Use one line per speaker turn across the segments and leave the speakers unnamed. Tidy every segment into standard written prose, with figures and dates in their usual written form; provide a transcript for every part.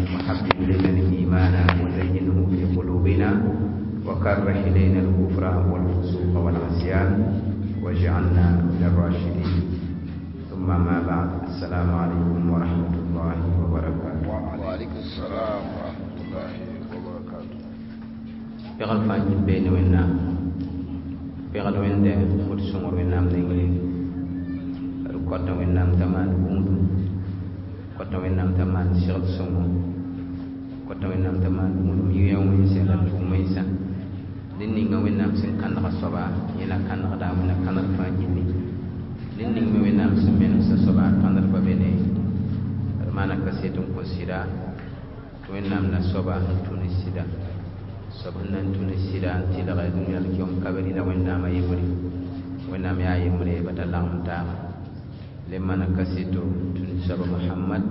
وحبب إلينا الإيمان وزينه في قلوبنا وكره إلينا الكفر والفسوق والعصيان واجعلنا من الراشدين. ثم ما بعد، السلام عليكم ورحمة الله وبركاته.
وعليكم السلام ورحمة الله وبركاته.
Pegl fãa yĩn beene Wẽnnaam, pegd Wẽnde fot sõngr Wẽnnaam nengre, d kõta Wẽnnaam t'a maan gũudum, kõta Wẽnnaam t'a maan segd sõngo, kõta Wẽnnaam t'a maan gũudum yɩ wẽnsa la tʋʋm wẽnsa. Ned ninga Wẽnnaam sẽn kãnega soaba, yẽ la kãnegda Wẽnna kãneg fãa gilli. Ned ning me Wẽnnaam sẽn menemsa soaba, kãned pa be ne d maana kaset n kõ sɩda tɩ Wẽnnaam na soaba n tũ ne sɩda, soab sẽn na n tũ ne sɩda n tɩlge dũniyã alkiom ka be rɩla Wẽnnaamã yembre. Wẽnnaam yaa yembre ba ta lagem taaba. Le maana kaseto tũ ne soaba Mohamad,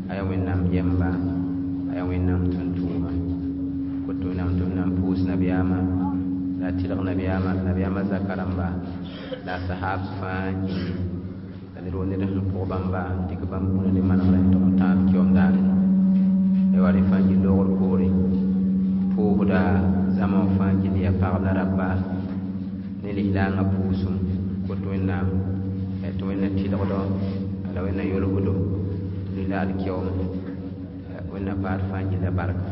a yaa Wẽnnaam yɛmba, a yaa Wẽnnaam tʋm-tʋʋma. Koto Wẽnnaam tɩ b na n pʋʋs nabiyaamã la a tɩlg nabiyaamã, nabiyaamã zaka rãmba la a sahaab fãa yĩngi, la ned wo ned sẽn pʋg bãmba n dɩk bãmb bũna ne manegrã n tog n tãab kiom daare. Wa rẽ fãa yɩ loogr poore pʋʋsda zãma wã fãa gill, yaa pagb la raba ne lislaangã pʋʋsem. Kot Wẽnnaam tɩ Wẽnna tɩlgdo la Wẽnna yolsdo lila alkiom. Wẽnna paad fãa gilla barka,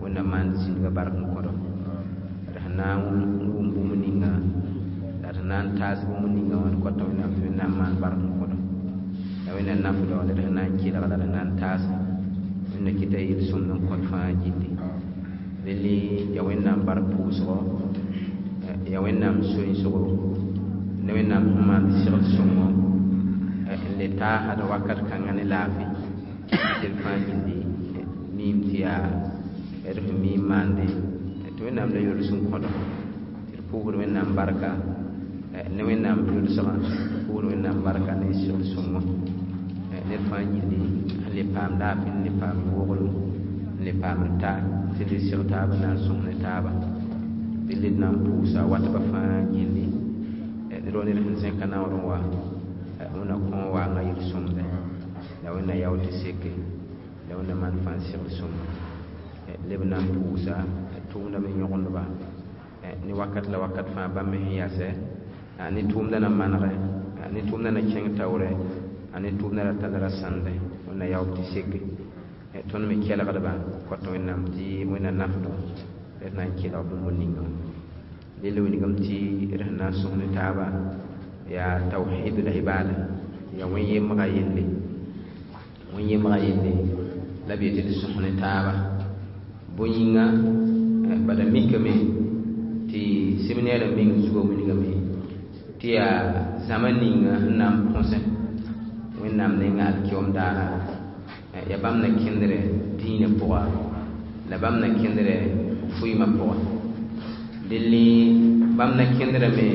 Wẽnna maand zĩndga bark n kõdo d sẽn na n wʋm bũmb ninga la d sẽn na n taas bũmb ninga wã. D kõta Wẽnnaam tɩ Wẽnnaam maan bark n kõdo la Wẽnna nafdo la d sẽn na n kelg la d sẽn na n taasa. Wẽnna kɩta yel-sõmd n kõt fãa gilli. Rel yaa Wẽnnaam bark pʋʋsgo, yaa Wẽnnaam soensgo ne Wẽnnaam sẽn maand segd sõngo n le taasd wakat kãngã ne laafɩ tɩ d fãa gilli miim tɩ yaa d sẽn mi n maande tɩ Wẽnnaam la yols n kõdo tɩ d pʋʋsd Wẽnnaam barka ne Wẽnnaam yolsgã, pʋʋsd Wẽnnaam barka ne segd sõngo. Ned fãa gilli sẽn le paam laafɩ, n le paam woglem, n le paam n ta tɩ le seg taaba na n sõs ne taaba. Dɩl d na n pʋʋsa watba fãa gilli. Ned wa ned sẽn zẽka naoor n wa, Wẽnna kõ waangã yel-sõmde la Wẽnna yao tɩ seke la Wẽnna maan fãa segd sõngo. Leb na n pʋʋsa tʋʋmda me yõgendba ne wakat la wakat fãa bãmb me sẽn yasɛ ne tʋʋmda na manegɛ, ne tʋʋmda na kẽng taoorɛ, a ne tʋʋmda ra tall ra sãnde. Wẽnna yaoog tɩ seke. Tõnd me kelgdba kõt Wẽnnaam tɩ Wẽnna nafdõ d na n kelg bũmb ninga. Dẽla wilgame tɩ d sẽn na n sõs ne taaba yaa tawhid l ibada, yaa wẽn-yembga yelle, wẽn-yembga yelle la b yetɩ d sõs ne taaba. Bõe yĩnga? Bala mikame tɩ seminɛɛrã meng zugã wilgame tɩ yaa zãma ninga sẽn na n põsẽ Wẽnnaam nenga alkiom daara, yaa bãmb na kẽndrɛ dĩinã pʋga la bãmb na kẽndrɛ fʋɩɩmã pʋga. Dẽlli bãmb na kẽndrame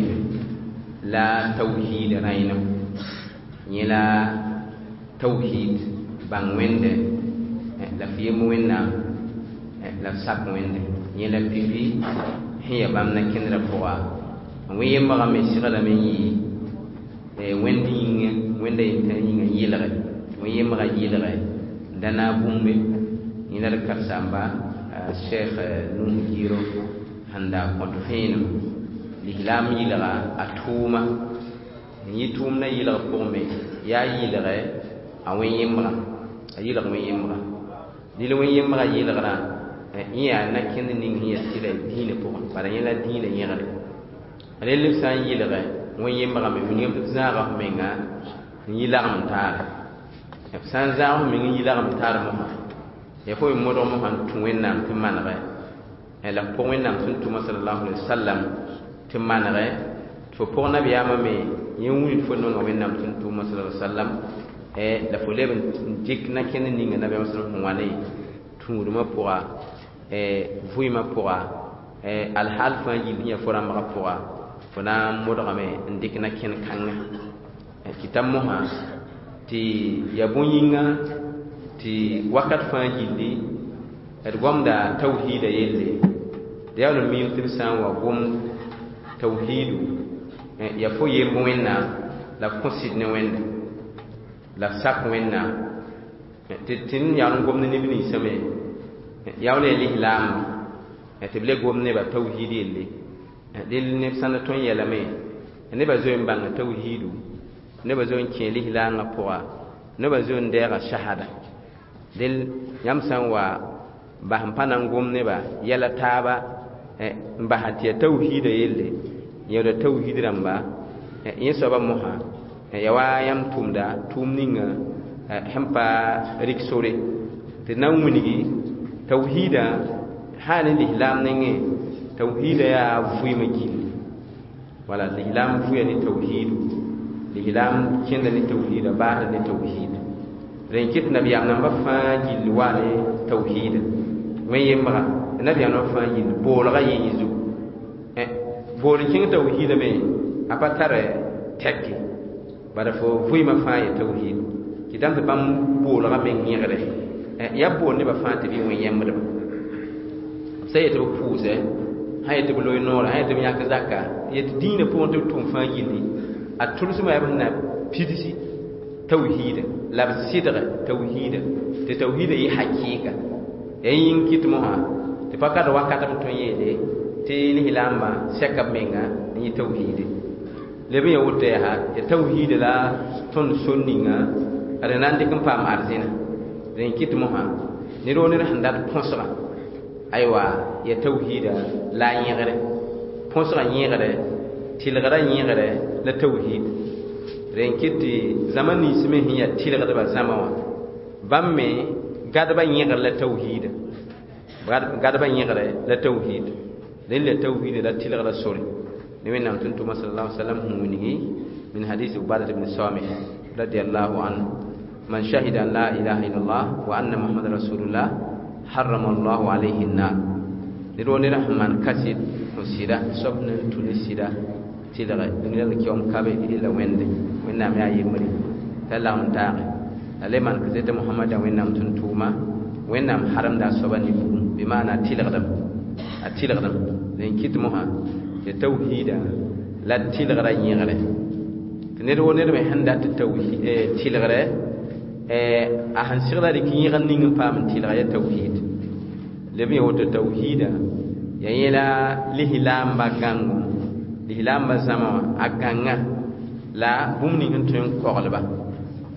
la tawhiid rãenem, yẽ la tawhiid bãng Wẽnde la f yemb Wẽnnaam la f sak Wẽnde. Yẽ la pipi sẽn yaa bãmb na kẽndrã pʋga. Wẽn-yembgã me seglame n yɩ Wẽnd yĩngã, Wẽnda yentã yĩngã n yɩlge, wẽn-yembgã yɩlge n da naag bũmbe. Yẽ la d karen-saamba Cheikh Nuh Giro sẽn da kõt vẽenem lislaam yɩlga a tʋʋma n yɩ tʋʋmdã yɩlg pʋgẽ me yaa yɩlgɛ a wẽn-yembgã, a yɩlg wẽn-yembgã. Dɩl wẽn-yembgã yɩlgrã yẽ yaa na-kẽnd ning sẽn yaa sɩda dĩinã pʋgẽ, bala yẽ la dĩinã yẽgre. Rel b sã n yɩlgɛ wẽn-yembgã me wilgame tɩ b zãaga f menga n yɩ lagem n taare. B sã n zãag f meng n yɩ lagem n taar mosã, yaa fo me modg mosã n tũ Wẽnnaam tɩ manegɛ la f pʋg Wẽnnaam sẽn tʋma salallahu alaihi wasallam tɩ manegɛ, tɩ fo pʋg nabiyaamã me yẽ wilg fo nonga Wẽnnaam sẽn tʋma sallallahu alaihi wasallam, la fo leb n dɩk na-kẽnd ninga nabiyaamã sallam sẽn wa ne tũudmã pʋga, vʋɩɩmã pʋga, alhaal fãa yil sẽn yaa fo rãmbgã pʋga, fo na n modgame n dɩk na-kẽnd kãngã kɩta mosã tɩ yaa bõe-yĩnga tɩ wakat fãa gilli d gomda tawhiida yelle. D yaool n miim tɩ b sã n wa gomd tawhiidu, yaa fo yemb Wẽnnaam la f kõ sɩd ne Wẽnda la f sak Wẽnnaam. Tɩ tɩ yaool n gomd neb ninsã me yaool yaa lislaamba tɩ b le gom nebã tawhiid yelle. Dẽl neb sãn da tõe n yeelame nebã zoe n bãnga tawhiidu, nebã zoe n kẽ lislaangã pʋga, nebã zoe n deega shahada. Dẽl yãmb sã n wa bas n pa na n gom nebã yɛla taaba n basa tɩ yaa tawhiida yelle, yẽoda tawhiid rãmba yẽ soabã mosã ya wa yãmb tʋmda tʋʋm ninga sẽn pa rɩk sore tɩ na n wilgi tawhiida sã ne lislaam nengẽ. Tawhiida yaa vʋɩɩmã gilli, wala lislaam vʋya ne tawhiidu, lislaam kẽnda ne tawhiida, baasda ne tawhiid. Rẽn kɩt nabiyaam nambã fãa gilli waa ne tawhiida. Wẽn yembga nabiyaam nambã fãa gilli boolgã yẽ zugu bool n kẽng tawhiida me a pa tar tɛke, bala fo vʋɩɩmã fãa ye tawhiid. Kɩtame tɩ bãmb boolgã meng yẽgre yaa bool nebã fãa tɩ bɩ wẽ yẽmbdba b sã yetɩ b pʋʋsɛ, sã yetɩ b loe noorã, sã yetɩ b yãk zaka, yetɩ dĩinã pʋgẽ tɩ b tʋm fãa gilli a tʋlsmã yaa b sẽn na pidsi tawhiida la b sɩdg tawhiida tɩ tawhiida yɩ hakɩɩka. Ya yĩng kɩt mosã tɩ pa ka d wakat b tõe n yeele tɩ lislaambã sɛka b menga n yɩ tawhiide. Leb n ya woto yaa ya tawhiida la tõnd sor ninga d na n dɩk n paam arzẽna. Rẽn kɩt mosã ned woo ned sẽn dat põsgã aywa ya tawhiida la a yẽgre põsgã yẽgre tɩlgrã yẽgre la tawhiid. Rẽn kɩt tɩ zãma nins me sẽn yaa tɩlgdbã zãma wã bãmb me gadbã yẽgr la tawhiida, gadbã yẽgre la tawhiid. Rẽn la tawhiida la tɩlgrã sore ne Wẽnnaam tʋm-tʋʋma sallallahu alaihi wasallam sẽn wilgi min hadis Ubadat ibn Samit radiyallahu anhu: man shahida an la ilaha illallah wa anna muhammad rasulullah harrama allahu alayhi an-nar. Ned woo ned sẽn maan kaset kõ sɩda soab nan tũ ne sɩda tɩlge dũni la kiom kabe rɩla wẽnde Wẽnnaam yaa yembre t'a lagm taage la le maan kaseta Mohamada Wẽnnaam tʋm-tʋʋma, Wẽnnaam haremda a soaba ne bugum, bɩ maana a tɩlgdem a tɩlgdem. Rẽn kɩt mosã tɩ tawhiida la tɩlgrã yẽgre tɩ ned woo ned me sẽn dat tɩlgrɛ a sẽn segla rɩk yẽgr ning n paam n tɩlga ya tawhiid. Leb n ya woto tawhiida ya yẽla lislaambã gãngo, lislaambã zãma wã a gãnga la bũmb ning sẽn tõe n koglba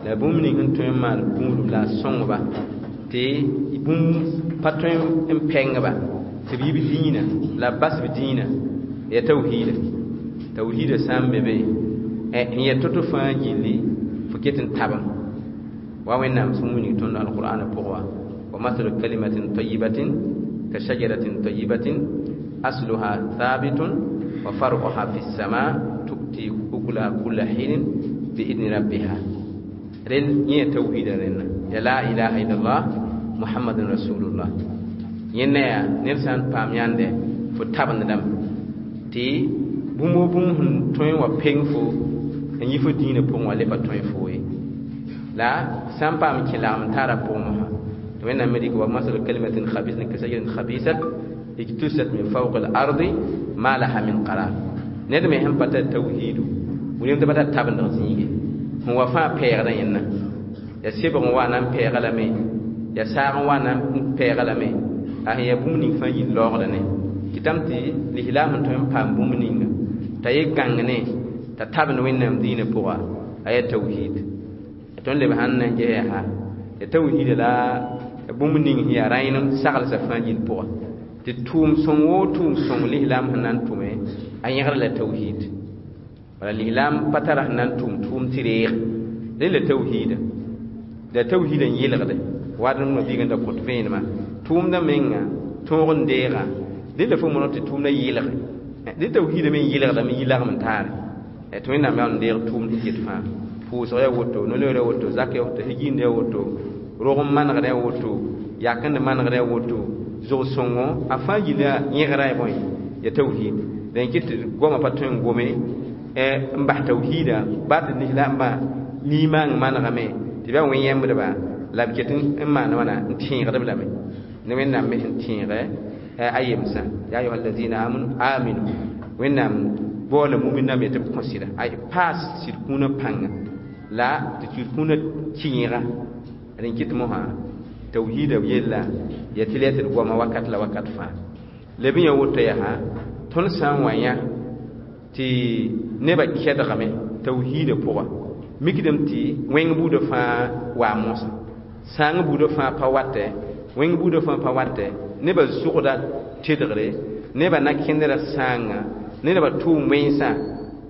la bũmb ning sẽn tõe n maan gũudum la a sõngba tɩ bũmb pa tõe n pɛngba tɩ b yi b dĩinã la b bas b dĩinã ya tawhiida. Tawhiida sã n be be n ya to-to fãa gilli fo ket n tabem wa Wẽnnaam sẽn wilg tõnd alqur'ana pʋgẽ wã: wa mathalu kalimatin tayibatin ka shajaratin tayibatin asluha thabitun wa far'uha fi sama tu'ti ukulaha kulla hinin bi idni rabbiha. Rẽn yẽ tawhiida rẽnna ya la ilaha illallah muhammadun rasulullah. Yẽnna yaa ned sã n paam yãnde fo tabendame tɩ bũmb wo bũmb sẽn tõe n wa peng fo n yi fo dĩinã pʋgẽ wã le pa tõe fo ye la sã n paam kẽ lagm n taara pʋgẽ mosã tɩ Wẽnnaam me dɩk wa masalu kalimatin khabisatin ka shajarin khabisat ijtusat min fawqi al-ardi ma laha min qarar. Ned me sẽn pa tar tawhiidu wilem tɩ pa tar tabendg zĩige sẽn wa fãa pɛɛgdã yẽnna ya sebg n wa na n pɛɛga lame ya saag n wa na n pɛɛga lame a sẽn yaa bũmb ning fãa yil laoogda ne kɩtame tɩ lislaam sẽn tõe n paam bũmb ninga t'a ye gãng ne t'a tabend Wẽnnaam dĩinã pʋga a yaa tawhiid. Tõnd leb sãn na n ges yaa ya tawhiida la bũmb ning sẽn yaa rãenem saglsã fãa gill pʋga tɩ tʋʋm sõng woo tʋʋm sõng lislaam sẽn na n tʋme a yẽgr la tawhiid. Wala lislaam pa tara sẽn na n tʋm tʋʋm tɩ reeg rẽ la tawhiida la tawhiida n yelgde wa d mabiig n da kõt vẽenemã tʋʋmdã menga tõog n deega dẽ la fo monog tɩ tʋʋmdã yelge dẽ tawhiida me n yelgdame yi lagm n taare tɩ Wẽnnaam yaa n deeg tʋʋmd sẽn ket fãa pʋʋsg yaa woto, no-loeer yaa woto, zak yaa woto, higind yaa woto, rog n manegd yaa woto, yakend manegd yaa woto, zʋg-sõngo a fãa yilla yẽgra ya bõe ya tawhiid. Rẽn kɩt tɩ goamã pa tõe n gome n bas tawhiida baa tɩ lislaambã limaang manegame tɩ b yaa wẽn-yẽmbdba la b ket n maan wãna n tẽegd-b lame ne Wẽnnaam me sẽn tẽegɛ a yemsã ya ayuha allazina amanu aminu Wẽnnaam baoola mumin name tɩ b kõ sɩda ay paas sɩd kũunã pãnga la tɩ sɩd kũunã kẽega Rẽn kɩt mosã tawhiida yella ya tɩ la tɩ d goama wakat la wakat fãa. Leb n ya woto yaa tõnd sã n wa yã tɩ nebã kɛdgame tawhiidã pʋga, mikdame tɩ wẽng buudã fãa waa mosã, sãang buudã fãa pa watɛ, wẽng buudã fãa pa watɛ, nebã zʋgda tedgre, nebã na kẽndra sãanga, nebã tʋʋm wẽnsã.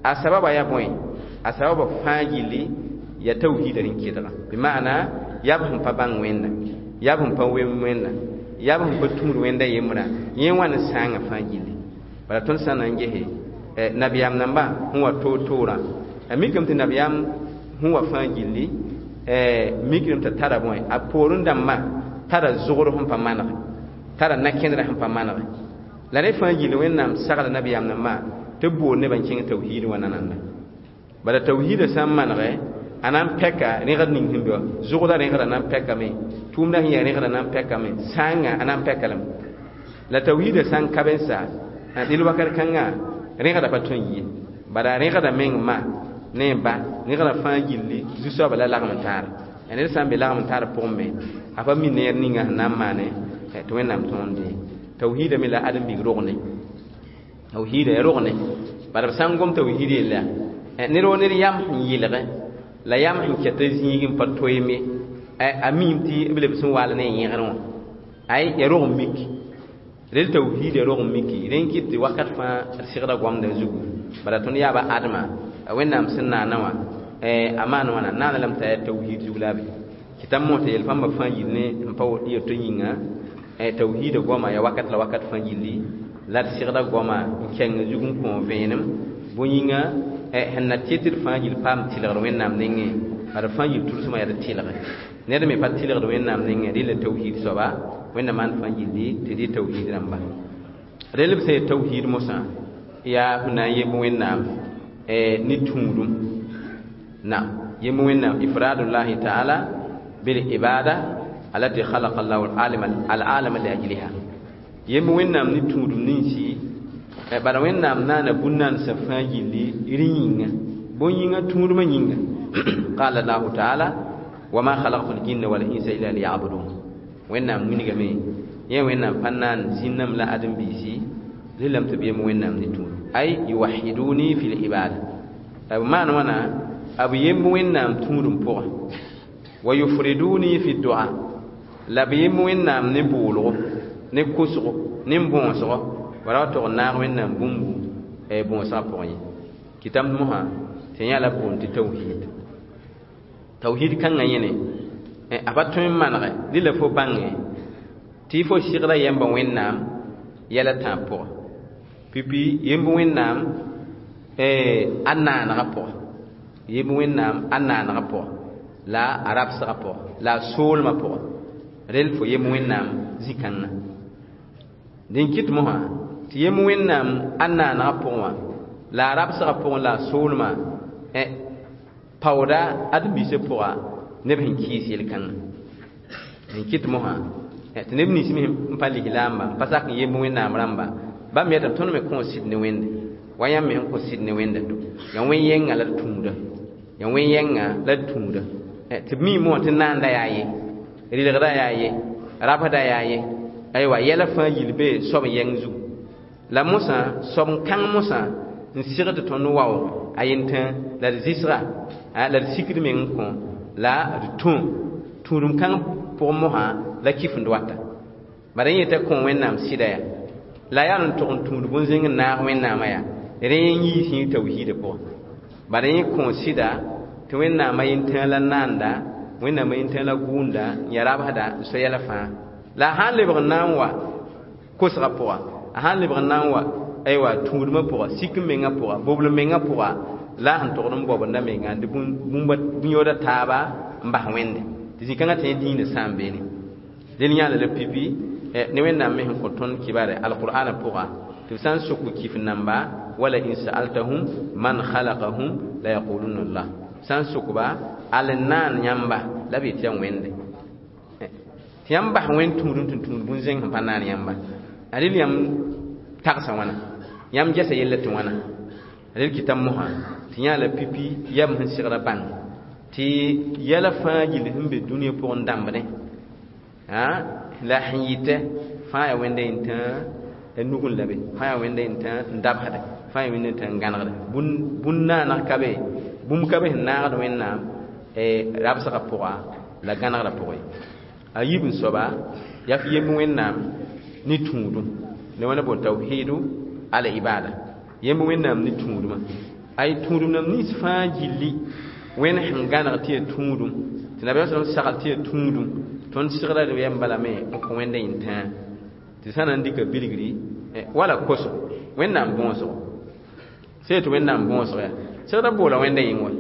A sababa yaa bõe? A sababa fãa gilli ya tawhiidã rẽn kedga. Bɩ maana yaa b sẽn pa bãng Wẽnda, yaa b sẽn pa wem Wẽnda, yaa b sẽn pa tũud Wẽnda yembrã, yẽ wã ne sãangã fãa gilli. Bala tõnd sã n na n gese nabiyaam nambã sẽn wa toor-toorã, a mikame tɩ nabiyaam sẽn wa fãa gilli mikdame t'a tara bõe? A poorẽ dãmbã tara zʋgr sẽn pa manege, tara na-kẽndrã sẽn pa manege. La rẽ fãa gilli Wẽnnaam sagla nabiyaam nambã tɩ b boor nebã n kẽng tawhiid wã nananda. Bala tawhiidã sã n manege, a na n pɛka rẽgd ning sẽn be wã, zʋgda rẽgda na n pɛkame, tʋʋmdã sẽn yaa rẽgda na n pɛkame, sãanga a na n pɛka lame. La tawhiidã sã n ka be n sa, dɩl wakat kãnga rẽgda pa tõe n yi. Bala rẽgda meng ma ne ba rẽgda fãa gilli zu-soabã la lagem n taar. Ya ned sã n be lagem n taar pʋgẽ me, a pa mi neer ninga sẽn na n maane tɩ Wẽnnaam tõog dee. Tawhiidã me la ãdem-biig rogne. Tawhiidã ya rogne. Bala b sã n gom tawhiid yella, ned wa ned yam sẽn yɩlge la yam sẽn kɛta zĩig n pa toeeme, a miime tɩ b lebs n waal ne a yẽgr wã. Ay, ya rog n mik. Rel tawhiid ya rog n miki. Rẽn kɩt tɩ wakat fãa d sɩgda goamdã zugu. Bala tõnd yaaba adma, Wẽnnaam sẽn naana wã, a maan wãna, naana lame t'a yaa tawhiid zug la a be. Kɩtame mos tɩ yel pãmbã fãa yil ne n pa yeto yĩnga, tawhiidã goama yaa wakat la wakat fãa gilli, la d sɩgda goama n kẽng zug n kõ vẽenem. Bõe yĩnga, sẽn na tɩ tɩ d fãa gill paam tɩlgr Wẽnnaam nengẽ, bala fãa gill tʋlsmã yaa d tɩlge. Ned me pa tɩlgd Wẽnnaam nengẽ, rɩla tawhiid soaba, Wẽnnaam maan fãa gilli tɩ dɩ tawhiid rãmba. Rel b sẽn yaa tawhiid mosã yaa sẽn na n yemb Wẽnnaam ne tũudum. Naam, yemb Wẽnnaam ifradullahi taala bil ibada allati khalaqa Allahu al-alama li ajliha. Yemb Wẽnnaam ne tũudum ninsi, bala Wẽnnaam naana bũn-naandsã fãa gilli rẽ yĩnga, bõe yĩnga? Tũudmã yĩnga. Qala Allahu taala wa ma khalaqtu al-jinna wal insa illa liya'budun. Wẽnnaam wilgame yẽ Wẽnnaam pa naan zĩnname la ãdem-biisi rɩlame tɩ b yemb Wẽnnaam ne tũud. Ay yuwahiduni fi l-ibada. B maan wãna b yemb Wẽnnaam tũudum pʋgẽ. Wa yufriduni fi dua. La b yemb Wẽnnaam ne boolgo, ne kosgo, ne bõosgo, wala wa tog n naag Wẽnnaam bũmbu bõosgã pʋgẽ ye. Kɩtame mosã tɩ yã la boond tɩ tawhiid. Tawhiid kãngã yẽne a pa tõe n manege rɩla fo bãnge tɩ fo sɩgda yɛmba Wẽnnaam yɛl a tãab pʋgẽ. Pipi yemb Wẽnnaam a naanegã pʋgẽ, yemb Wẽnnaam a naanegã pʋgẽ, la a rabsgã pʋgẽ, la a soolmã pʋgẽ, rel fo yemb Wẽnnaam zĩ-kãngã. Dẽn kɩt mosã tɩ yemb Wẽnnaam a naanegã pʋgẽ wã, la a rabsgã pʋgẽ, la a soolmã paooda ãdem-biisã pʋga neb sẽn kɩɩs yel-kãngã. Dẽn kɩt mosã tɩ neb nins me n pa lislaamba, n pa sak n yemb Wẽnnaam rãmba, bãmb yetame tõnd me kõ sɩd ne Wẽnde wa yãmb me sẽn kõ sɩd ne Wẽnda to. Yaa wẽn-yɛngã la d tũuda, yaa wẽn-yɛngã la d tũuda. Tɩ b mi mosã tɩ naanda yaa ye, rɩlgda yaa ye, rabsda yaa ye, aywa yɛla fãa yil bee soab n yɛng zugu. La mosã soab n kãng mosã n sɩgd tɩ tõnd waoog a yentẽ la d zɩsga, la d sikd meng n kõ la d tũ tũudum kãng pʋgẽ mosã la kifend wata. Bala yẽ yeta kõ Wẽnnaam sɩda yaa la yaa n tog n tũud bũn-zẽng n naag Wẽnnaamã yaa rẽ n yii sĩig tawhiidã pʋgẽ. Bala yẽ kõ sɩda tɩ Wẽnnaamã yentẽ la naanda, Wẽnnaamã yentẽ la gʋʋnda, n yaa rabsda, n so yɛla fãa. La a sã n lebg n na n wa kosgã pʋga, a sã n lebg n na n wa aywa tũudmã pʋga, sik n mengã pʋga, bobl mengã pʋga, la sẽn togd n baobenda menga tɩ bũn-yooda taaba n bas Wẽnde. Tɩ zĩ-kãngã tɩ yẽ dĩinã sã n beene. Dẽn yãala la pipi ne Wẽnnaam me sẽn kõ tõnd kibare alqur'ana pʋga, tɩ b sã n sok kif namba wala in sa'altahum man khalaqahum la yaquluna Allah. Sã n sokba al n naan yãmba la b yetɩ yaa Wẽnde. Tɩ yãmb bas Wẽnd tũudum tɩ tũud bũn-zẽng sẽn pa naan yãmba. A rel yãmb tagsa wãna, yãmb gɛsa yella tɩ wãna. Rel kɩtame mosã tɩ yã la pipi yam sẽn sɩgda bãng. Tɩ yɛla fãa gill sẽn be dũniyã pʋgẽ dãmbdẽ la sẽn yɩtɛ fãa yaa wẽnda yẽn tã nugẽ la be, fãa yaa wẽnda yẽn tã n dabsdɛ, fãa yaa wẽnda yẽn tã n gãnegdɛ. Bũn naaneg ka be, bũmb ka be sẽn naagd Wẽnnaam rabsgã pʋga la gãnegrã pʋgẽ. A yiib n soaba yaa f yemb Wẽnnaam ne tũudum la wãna boon tawhidu al ibada, yemb Wẽnnaam ne tũudumã. Ay tũudum nam nins fãa gilli Wẽnd sẽn gãneg tɩ yaa tũudum, tɩ nabiyaam sallam sagl tɩ yaa tũudum, tõnd segra yɛm balame n kõ Wẽnda yẽn-tãa tɩ sã na n dɩka bilgri wala kosgo Wẽnnaam bõosgo sẽn tɩ Wẽnnaam bõosg yaa segra boola Wẽnda yĩng wa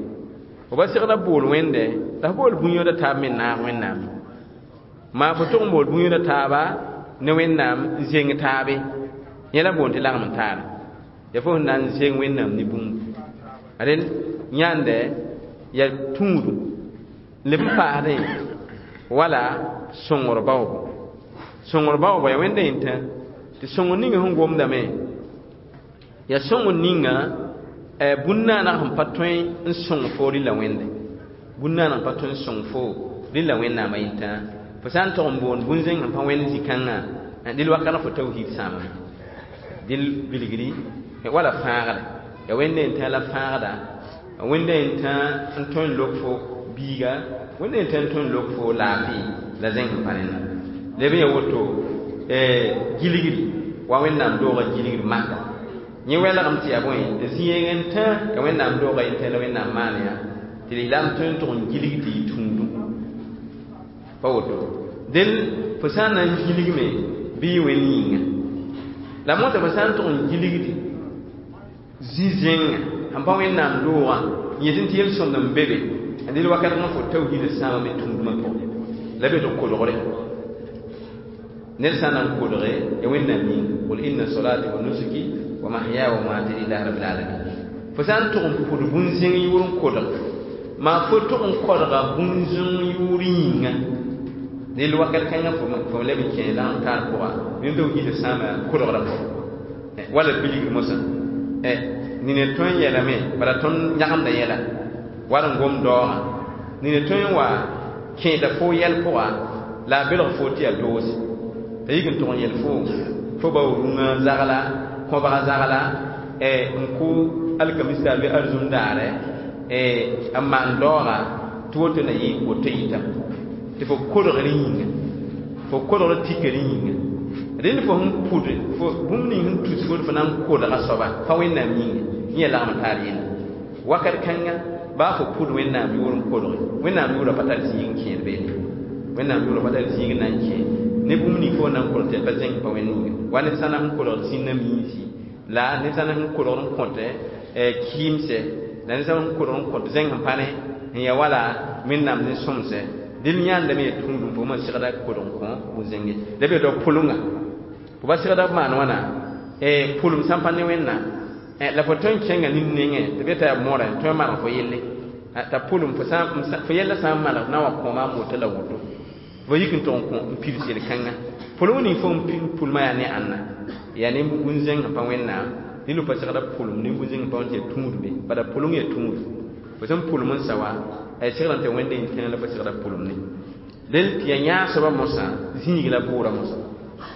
fo ba segra bool Wẽnde la f bool bũn-yõoda taab me naag Wẽnnaam maa fo tʋg n bool bũn-yõoda taaba ne Wẽnnaam n zeng taabe yẽ la boond tɩ lagem n taara ya fo sẽn na n zeng Wẽnnaam ne bũmb ade yãande yaa tũudum leb n paasdẽ wala sõngr baoobo. Sõngr baoobo yaa Wẽnda yẽn-tã tɩ sõngr ninga sẽn gomdame yaa sõngr ninga bũn-naaneg sẽn pa tõe n sõng fo rɩla Wẽnde, bũn-naaneg sẽn pa tõe n sõng fo rɩla Wẽnnaamã yẽn-tã. Fo sã n tog n boond bũn-zẽng sẽn pa Wẽnd zĩ-kãngã dɩl wakat fo tawhiid sãamame dɩl bilgri wala fãagda yaa Wẽnda yẽn-tã la fãagda, Wẽnda yẽn-tã n tõe n lok fo biiga, Wẽnda yẽn-tã n tõe n lok fo laafɩ la zẽng sẽn pa rẽnda. Leb n yaa woto gilgri wa Wẽnnaam doogã gilgri maka yẽ welgem tɩ yaa bõe zĩ-yeng n tã ya Wẽnnaam doogã yẽn-tã la Wẽnnaam maan yaa tɩ lislaam tõe n tʋg n gilg tɩ yɩ tũudum pa woto. Del fo sã n na n gilgme bɩ yɩ Wẽnd yĩnga la mosã fo sã n tʋg n gilgdi zĩ-zẽngã sẽn pa Wẽnnaam doogã n yetɩ tɩ yel-sõmd n be be dɩl wakat fo tawhiidã sãamame tũudmã pʋgẽ la be tɩ kodgre ned sã n na n kodge ya Wẽnnaam yĩnga qul inna solati wa nusuki wa mahyaya wa mamati lillahi rabbil alamin. Fo sã n tʋg n pʋd bũn-zẽng yʋʋr n kodg maa fo tʋg n kodga bũn-zẽng yʋʋr yĩnga dɩl wakat kãngã fo leb n kẽ lagm taar pʋga yẽnd tawhiidã sãama kodgrã pʋgẽ wala bilgr mosã nina tõe n yɛlame bala tõnd yãgemda yɛla war n gom daoogã nina tõe n wa kẽeda fo yɛl pʋga la a belg fo tɩ yaa doose t'a yik n tʋg n yɛl fo bao rũngã zagla kõbga zagla n kʋ alkamista bɩ arzũm daare n maan daooga tɩ woto na yɩ woto yɩta tɩ fo kodgr yĩnga fo kodgr tikr yĩnga rẽnd fo sẽn pʋd fo bũmb ning sẽn tus fo fo na n kodga soaba pa Wẽnnaam yĩnga yẽ yaa lagm taar yẽnda wakat kãnga baa fo pʋd Wẽnnaam yʋʋr n kodge Wẽnnaam yʋʋra pa tar zĩig n kẽed beene Wẽnnaam yʋʋra pa tar zĩig n na n kẽ ne bũmb ning fo na n kodg tɩ pa zẽng pa Wẽnd yĩnga wa ned sã na sẽn kodgd zĩnnã miinsi la ned sã na sẽn kodgd n kõt kɩɩmsɛ la ned sã sẽn kodg n kõt zẽng sẽn pa ne n yaa wala Wẽnnaam ne sõmsɛ dɩl yãandame yaa tũudum fo ma segda kodg n kõ bũn-zẽnge la be dao pʋlengã fo ba segda b maan wãna pʋlem sã n pa ne Wẽnnaam la fo tõe n kẽnga nin nengẽ tɩ be t'a yaa mõrã tõe n maneg fo yelle t'a pʋlem fo yɛlla sã n maneg na n wa kõoma n woto la woto fo yik n tʋg n kõ n pids yel-kãnga pʋlem ning fo n pʋlmã yaa ne ãnna yaa ne bũn-zẽng sẽn pa Wẽnnaam rɩl pa segda pʋlem ne bũn-zẽng sẽn pa Wẽnd tɩ yaa tũudme bala pʋleng yaa tũud fo sẽn pʋlem n sa wa segrã tɩ Wẽnda yĩn-tãag la fo segda pʋlem ne del tɩ yaa yãag soabã mosã zĩig la bʋʋra mosã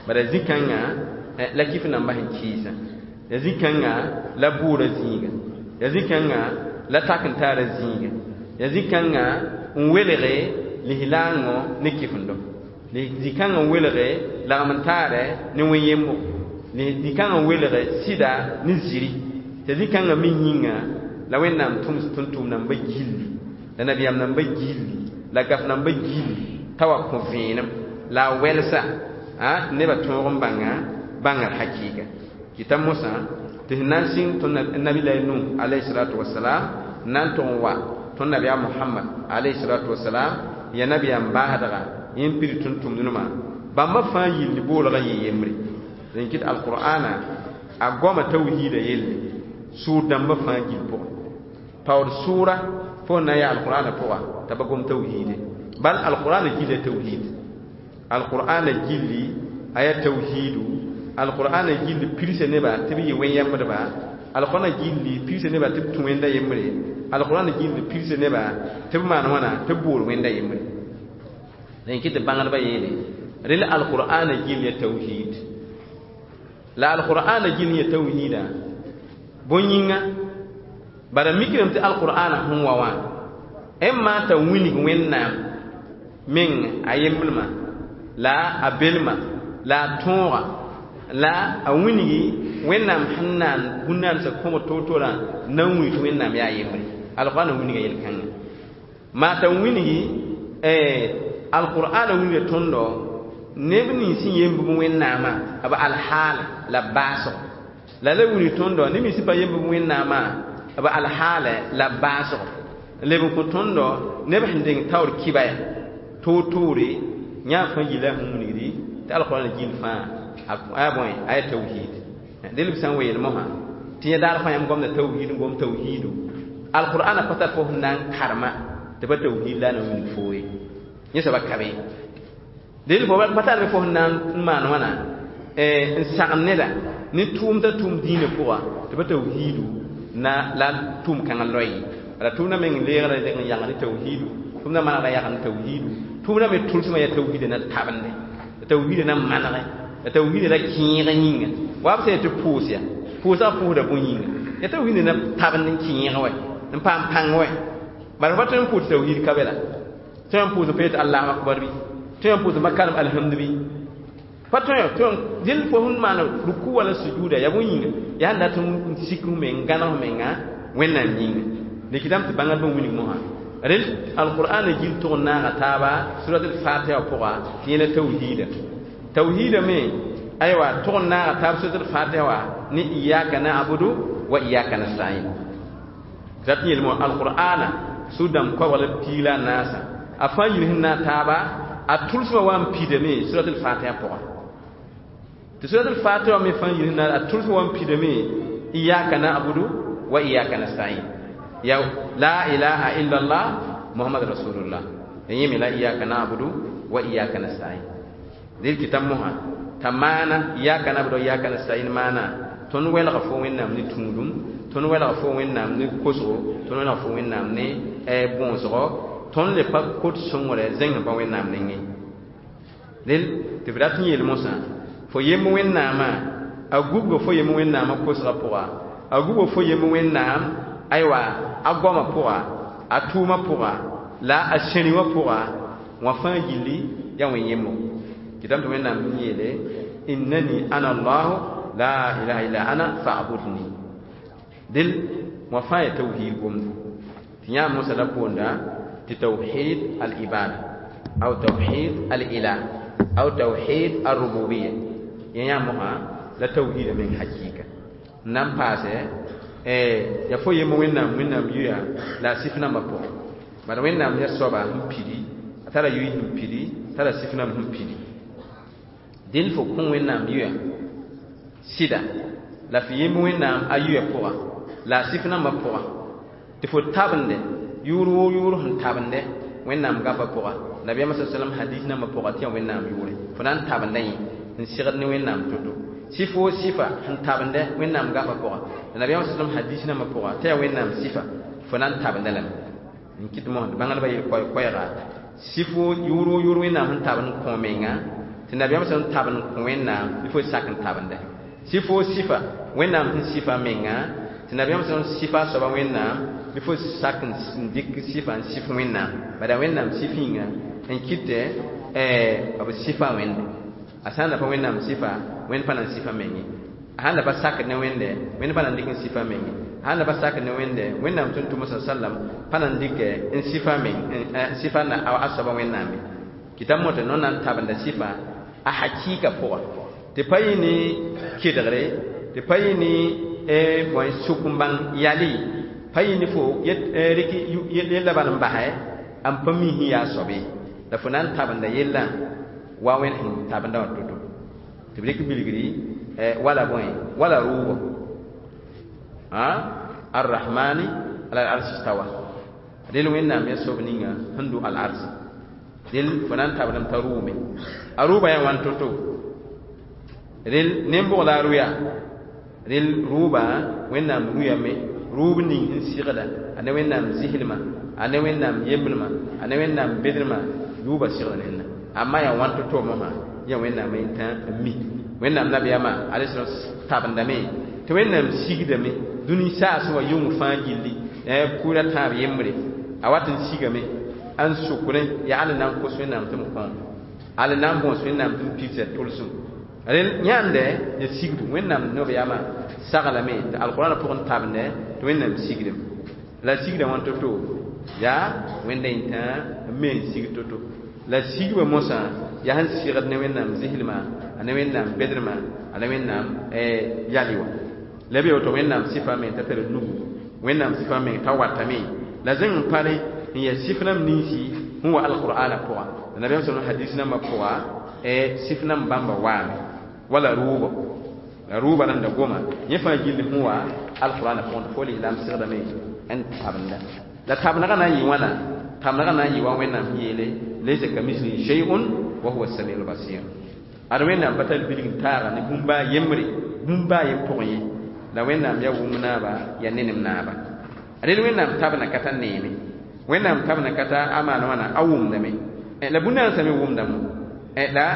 bala zĩ-kãngã la kɩf nambã sẽn kɩɩsã ya zĩ-kãngã la bʋʋra zĩiga ya zĩ-kãngã la tak n taara zĩiga ya zĩ-kãngã n welge lislaangõ ne kɩfendo zĩ-kãngã n welge lagm n taarɛ ne wẽn-yembo zĩ-kãngã n welge sɩda ne ziri tɩ zĩ-kãngã me yĩnga la Wẽnnaam tʋms tʋm-tʋʋm namba gilli la nabiyaam namba gilli la gaf namba gilli t'a wa kõ vẽenem la a wɛlsa tɩ nebã tõog n bãnga bãngr hakɩɩka kɩta mosã tɩ sẽn na n sɩng tõnd nabi-la Nuh alayhi salatu wasalam n na n tʋg n wa tõnd nabiyaam Mohamad alayhi salatu wasalam ya nabiyaam baasdga yẽ n pid tʋm-tʋmdnema bãmba fãa yilli boolgã yɩ yembre dẽn kɩt alqur'ana a goama tawhiida yelle sʋʋr dãmbã fãa gill pʋgẽ paood sʋʋra fo na n yaa alqur'ana pʋga t'a pa gom tawhiide bal alqur'ana gilla tawhiid alqur'ana gilli a yaa tawhiidu alqur'ana gilli pirsa neba tɩ b yɩ wẽn-yɛmbdba
Alqur'ana gilli piisa neba tɩ b tũ wẽnda yembre. Alqur'ana gilli piisa neba tɩ b maan wãna tɩ b boor wẽnda yembre. La yẽ kɩ tɩ bãngdbã yeele rel alqur'ana gill ya tawhid. La alqur'ana gill ya tawhida bõe yĩnga bara mikdame tɩ alqur'ana sẽn wa wã n maan t'a wilg Wẽnnaam meng a yemblmã la a belmã la a tõoga la a wilgi Wẽnnaam sẽn naan bũn-naandsã kõbd toor-toorã na n wilg tɩ Wẽnnaam yaa yembre. Alqur'ana wilga yel-kãngã maa t'a wilgi alqur'ana wilga tõndo neb nins sẽn yemb b Wẽnnaamã b alhaal la baasgo la la wilg tõndo neb nins sẽn pa yemb b Wẽnnaamã b alhaal la baasgo leb n kõ tõndo neb sẽn deng taoor kɩba ya toor-toore yãa fãa yila sẽn wilgdi tɩ alqur'ana gill fãa a bõe a ya tawhid. Dẽl b sã n weel mosã tɩ yẽ daar fãa yãmb gomda tawhid n gom tawhidu alqur'ana pa tar fo sẽn na n karema tɩ pa tawhid la na n wilg foo ye yẽ soaba ka be dẽl fo pa tar fo sẽn na n maan wãna n sagn neda ne tʋʋm t'a tʋʋm dĩinã pʋga tɩ pa tawhidu na la tʋʋm kãngã loe la tʋʋmdã meng leegrã deng n yãgd ne tawhidu tʋʋmdã manegda yagd ne tawhidu tʋʋmdã me tʋlsmã yaa tawhidã na tabende la tawhidã na manege la tawhidã la kẽeg yĩnga wa b sã tɩ pʋʋs ya pʋʋsã pʋʋsda bõe yĩnga ya tawhidã na tabend n kẽeg wɛ n paam pãng wɛ bara fa tõe n pʋʋs tawhid ka be la tõe n pʋʋs n pa yetɩ allahu akbar bɩ tõe n pʋʋs n pa karem alhamdu bɩ pa tõe tõe dẽl fo sẽn maan ruku wala sujuda ya bõe yĩnga yaa sẽn dat n sik f meng n gãneg f menga Wẽnnaam yĩnga dɩkdame tɩ bãngdbã wilg mosã rel alqur'ana gil tʋg n naaga taaba surat al-fatiha pʋga tɩ yẽla tawhiida tawhiida me aywa tʋg n naaga taab surat al-fatiha wa ne iyaka na'budu wa iyaka nasta'in rat n yeelme alqur'ana sũ-dãmb koabg la piig la a naasã a fãa yil sẽn naag taaba a tʋlsmã wa n pidame surat al-fatiha pʋga tɩ surat al-fatiha me fãa yil sẽn naag a tʋlsmã wa n pidame iyaka na'budu wa iyaka nasta'in ya la ilaha illallah muhammad rasulullah yẽ me la iyaka na'budu wa iyaka nasta'in dẽl kɩ t'a mosã t'a maana iyaka na'budu wa iyaka nasta'in maana tõnd welga fo Wẽnnaam ne tũudum tõnd welga fo Wẽnnaam ne kosgo tõnd welga fo Wẽnnaam ne bõosgo tõnd le pa kot sõngrɛ zẽng pa Wẽnnaam nengẽ dẽl tɩ f rat n yeel mosã fo yemb Wẽnnaamã a gubga fo yemb Wẽnnaamã kosgã pʋga a gubga fo yemb Wẽnnaam aywa a goamã pʋga a tʋʋmã pʋga la a sẽri wã pʋga wã fãa gilli yaa wẽn yembo kɩtame tɩ Wẽnnaam n yeele innani ana allahu la ilaha illa ana fa'budni dẽl wã fãa yaa tawhid gomda tɩ yã mosã la boonda tɩ tawhid al-ibada aw tawhid al-ilah aw tawhid al-rububiyya yã yã mosã la tawhida meng hakɩɩka n na n paase ya fo yemb Wẽnnaam Wẽnnaam yuya la a sɩf nambã pʋgẽ bala Wẽnnaam ya soaba sẽn pidi a tara yʋy sẽn pidi tara sɩf namb sẽn pidi dẽnd fo kõ Wẽnnaam yuya sɩda la f yemb Wẽnnaam a yuya pʋga la a sɩf nambã pʋga tɩ fo tabende yʋʋr woo yʋʋr sẽn tabende Wẽnnaam gafã pʋga nabiyaamã sa sallam hadis nambã pʋga tɩ yaa Wẽnnaam yʋʋre fo na n tabenda yẽ n segd ne Wẽnnaam to-to sɩf woo sɩfa sẽn tabende Wẽnnaam gafã pʋga la nabiyaamã sa sallam hadis nambã pʋga tɩ yaa Wẽnnaam sɩfa fo na n tabenda lame n kɩt mosã tɩ bãngdbã yel koɛɛga sɩf woo yʋʋr woo yʋʋr Wẽnnaam sẽn tabend n kõ menga tɩ nabiyaamã sã n tabend n kõ Wẽnnaam bɩ fo sak n tabende sɩf woo sɩfa Wẽnnaam sẽn sɩfa menga tɩ nabiyaamã sã n sɩfa a soaba Wẽnnaam bɩ fo sak n dɩk sɩfa n sɩf Wẽnnaam bala Wẽnnaam sɩf yĩnga n kɩtɛ b sɩfa Wẽnde a sã n da pa Wẽnnaam sɩfa Wẽnd pa na n sɩfa meng ye a sãn da pa sakd ne Wẽnde Wẽnd pa na n dɩk n sɩfa meng ye a sãn da pa sakd ne Wẽnde Wẽnnaam tʋm-tʋmã sa sallam pa na n dɩkɛ n sɩfa meng sɩfa a soaba Wẽnnaam ye kɩta motã no na n tabenda sɩfa a hakɩɩka pʋga tɩ pa yɩ ne kedgre tɩ pa yɩ ne bõe sʋk n bãng yali pa yɩ ne fo rɩk yella bal n basɛ n pa mi sẽn yaa soab ye la fo na n tabenda yellã wa Wẽnd sẽn tabenda wã to-to tɩ b rɩk bilgri wala bõe wala rʋʋbɔ arrahmani ala al-arshi istawa del Wẽnnaam yaa soab ninga sẽn dʋ al-arsi del fo na n tabdame t'a rʋʋme a rʋʋbã yaa wãn to-to del nen-bʋg la a rʋya Rel rʋʋba Wẽnnaam rʋyame rʋʋb ning sẽn sɩgda a ne Wẽnnaam zɩslmã, a ne Wẽnnaam yembrmã, a ne Wẽnnaam bedrmã, rʋʋba sɩgda nenda. Amma yaa wãn to-to mosã yaa Wẽnnaam n tã n mi. Wẽnnaam nabiyaamã alayhi tabendame tɩ Wẽnnaam sigdame dũni saasẽ wã yʋng fãa gilli kʋʋra tãab yembre a wat n sigame n sʋkrẽ yaa al na n kos Wẽnnaam tɩ m kõ, al na n bõos Wẽnnaam tɩ m pids a tʋlsem. Rel yãande ya sigdu Wẽnnaam nobeyaamã saglame tɩ alqurãnã pʋgẽ tabende tɩ Wẽnnaam sigdame. La sigda wãn to-to yaa Wẽnda yẽntã n me n sig to-to. La sigba mosã yaa sẽn sɩgd ne Wẽnnaam zɩslmã, a ne Wẽnnaam bedrmã, a ne Wẽnnaam yali wã. La b woto Wẽnnaam sɩfa meng t'a tar nugu, Wẽnnaam sɩfa meng t'a watame. La zẽng n pa rẽ n yaa sɩf rãmb ninsi sẽn wa alqur'ana pʋga. La nabiyaam sallam hadis nambã pʋga sɩf namba bãmba waame wala rʋʋbɔ. La rʋʋba rãnda goma yẽ fãa gilli sẽn wa alqur'ana pʋgẽ tɩ fo lislaam sɩgdame n tabenda. La tabendgã na n yɩ wãna? Tabendgã na n yɩ wa Wẽnnaam sẽn yeele laysa kamislihi shay'un wa huwa as-sami'ul basir. Ad Wẽnnaam pa tar bilg n taaga ne bũmb a yembre, bũmb a yem pʋgẽ ye. La Wẽnnaam yaa wʋm naaba, yaa nenem naaba. Rel Wẽnnaam tabna ka ta neeme. Wẽnnaam tabna ka ta a maan wãna a wʋmdame. La bũn-nansã me wʋmdame. La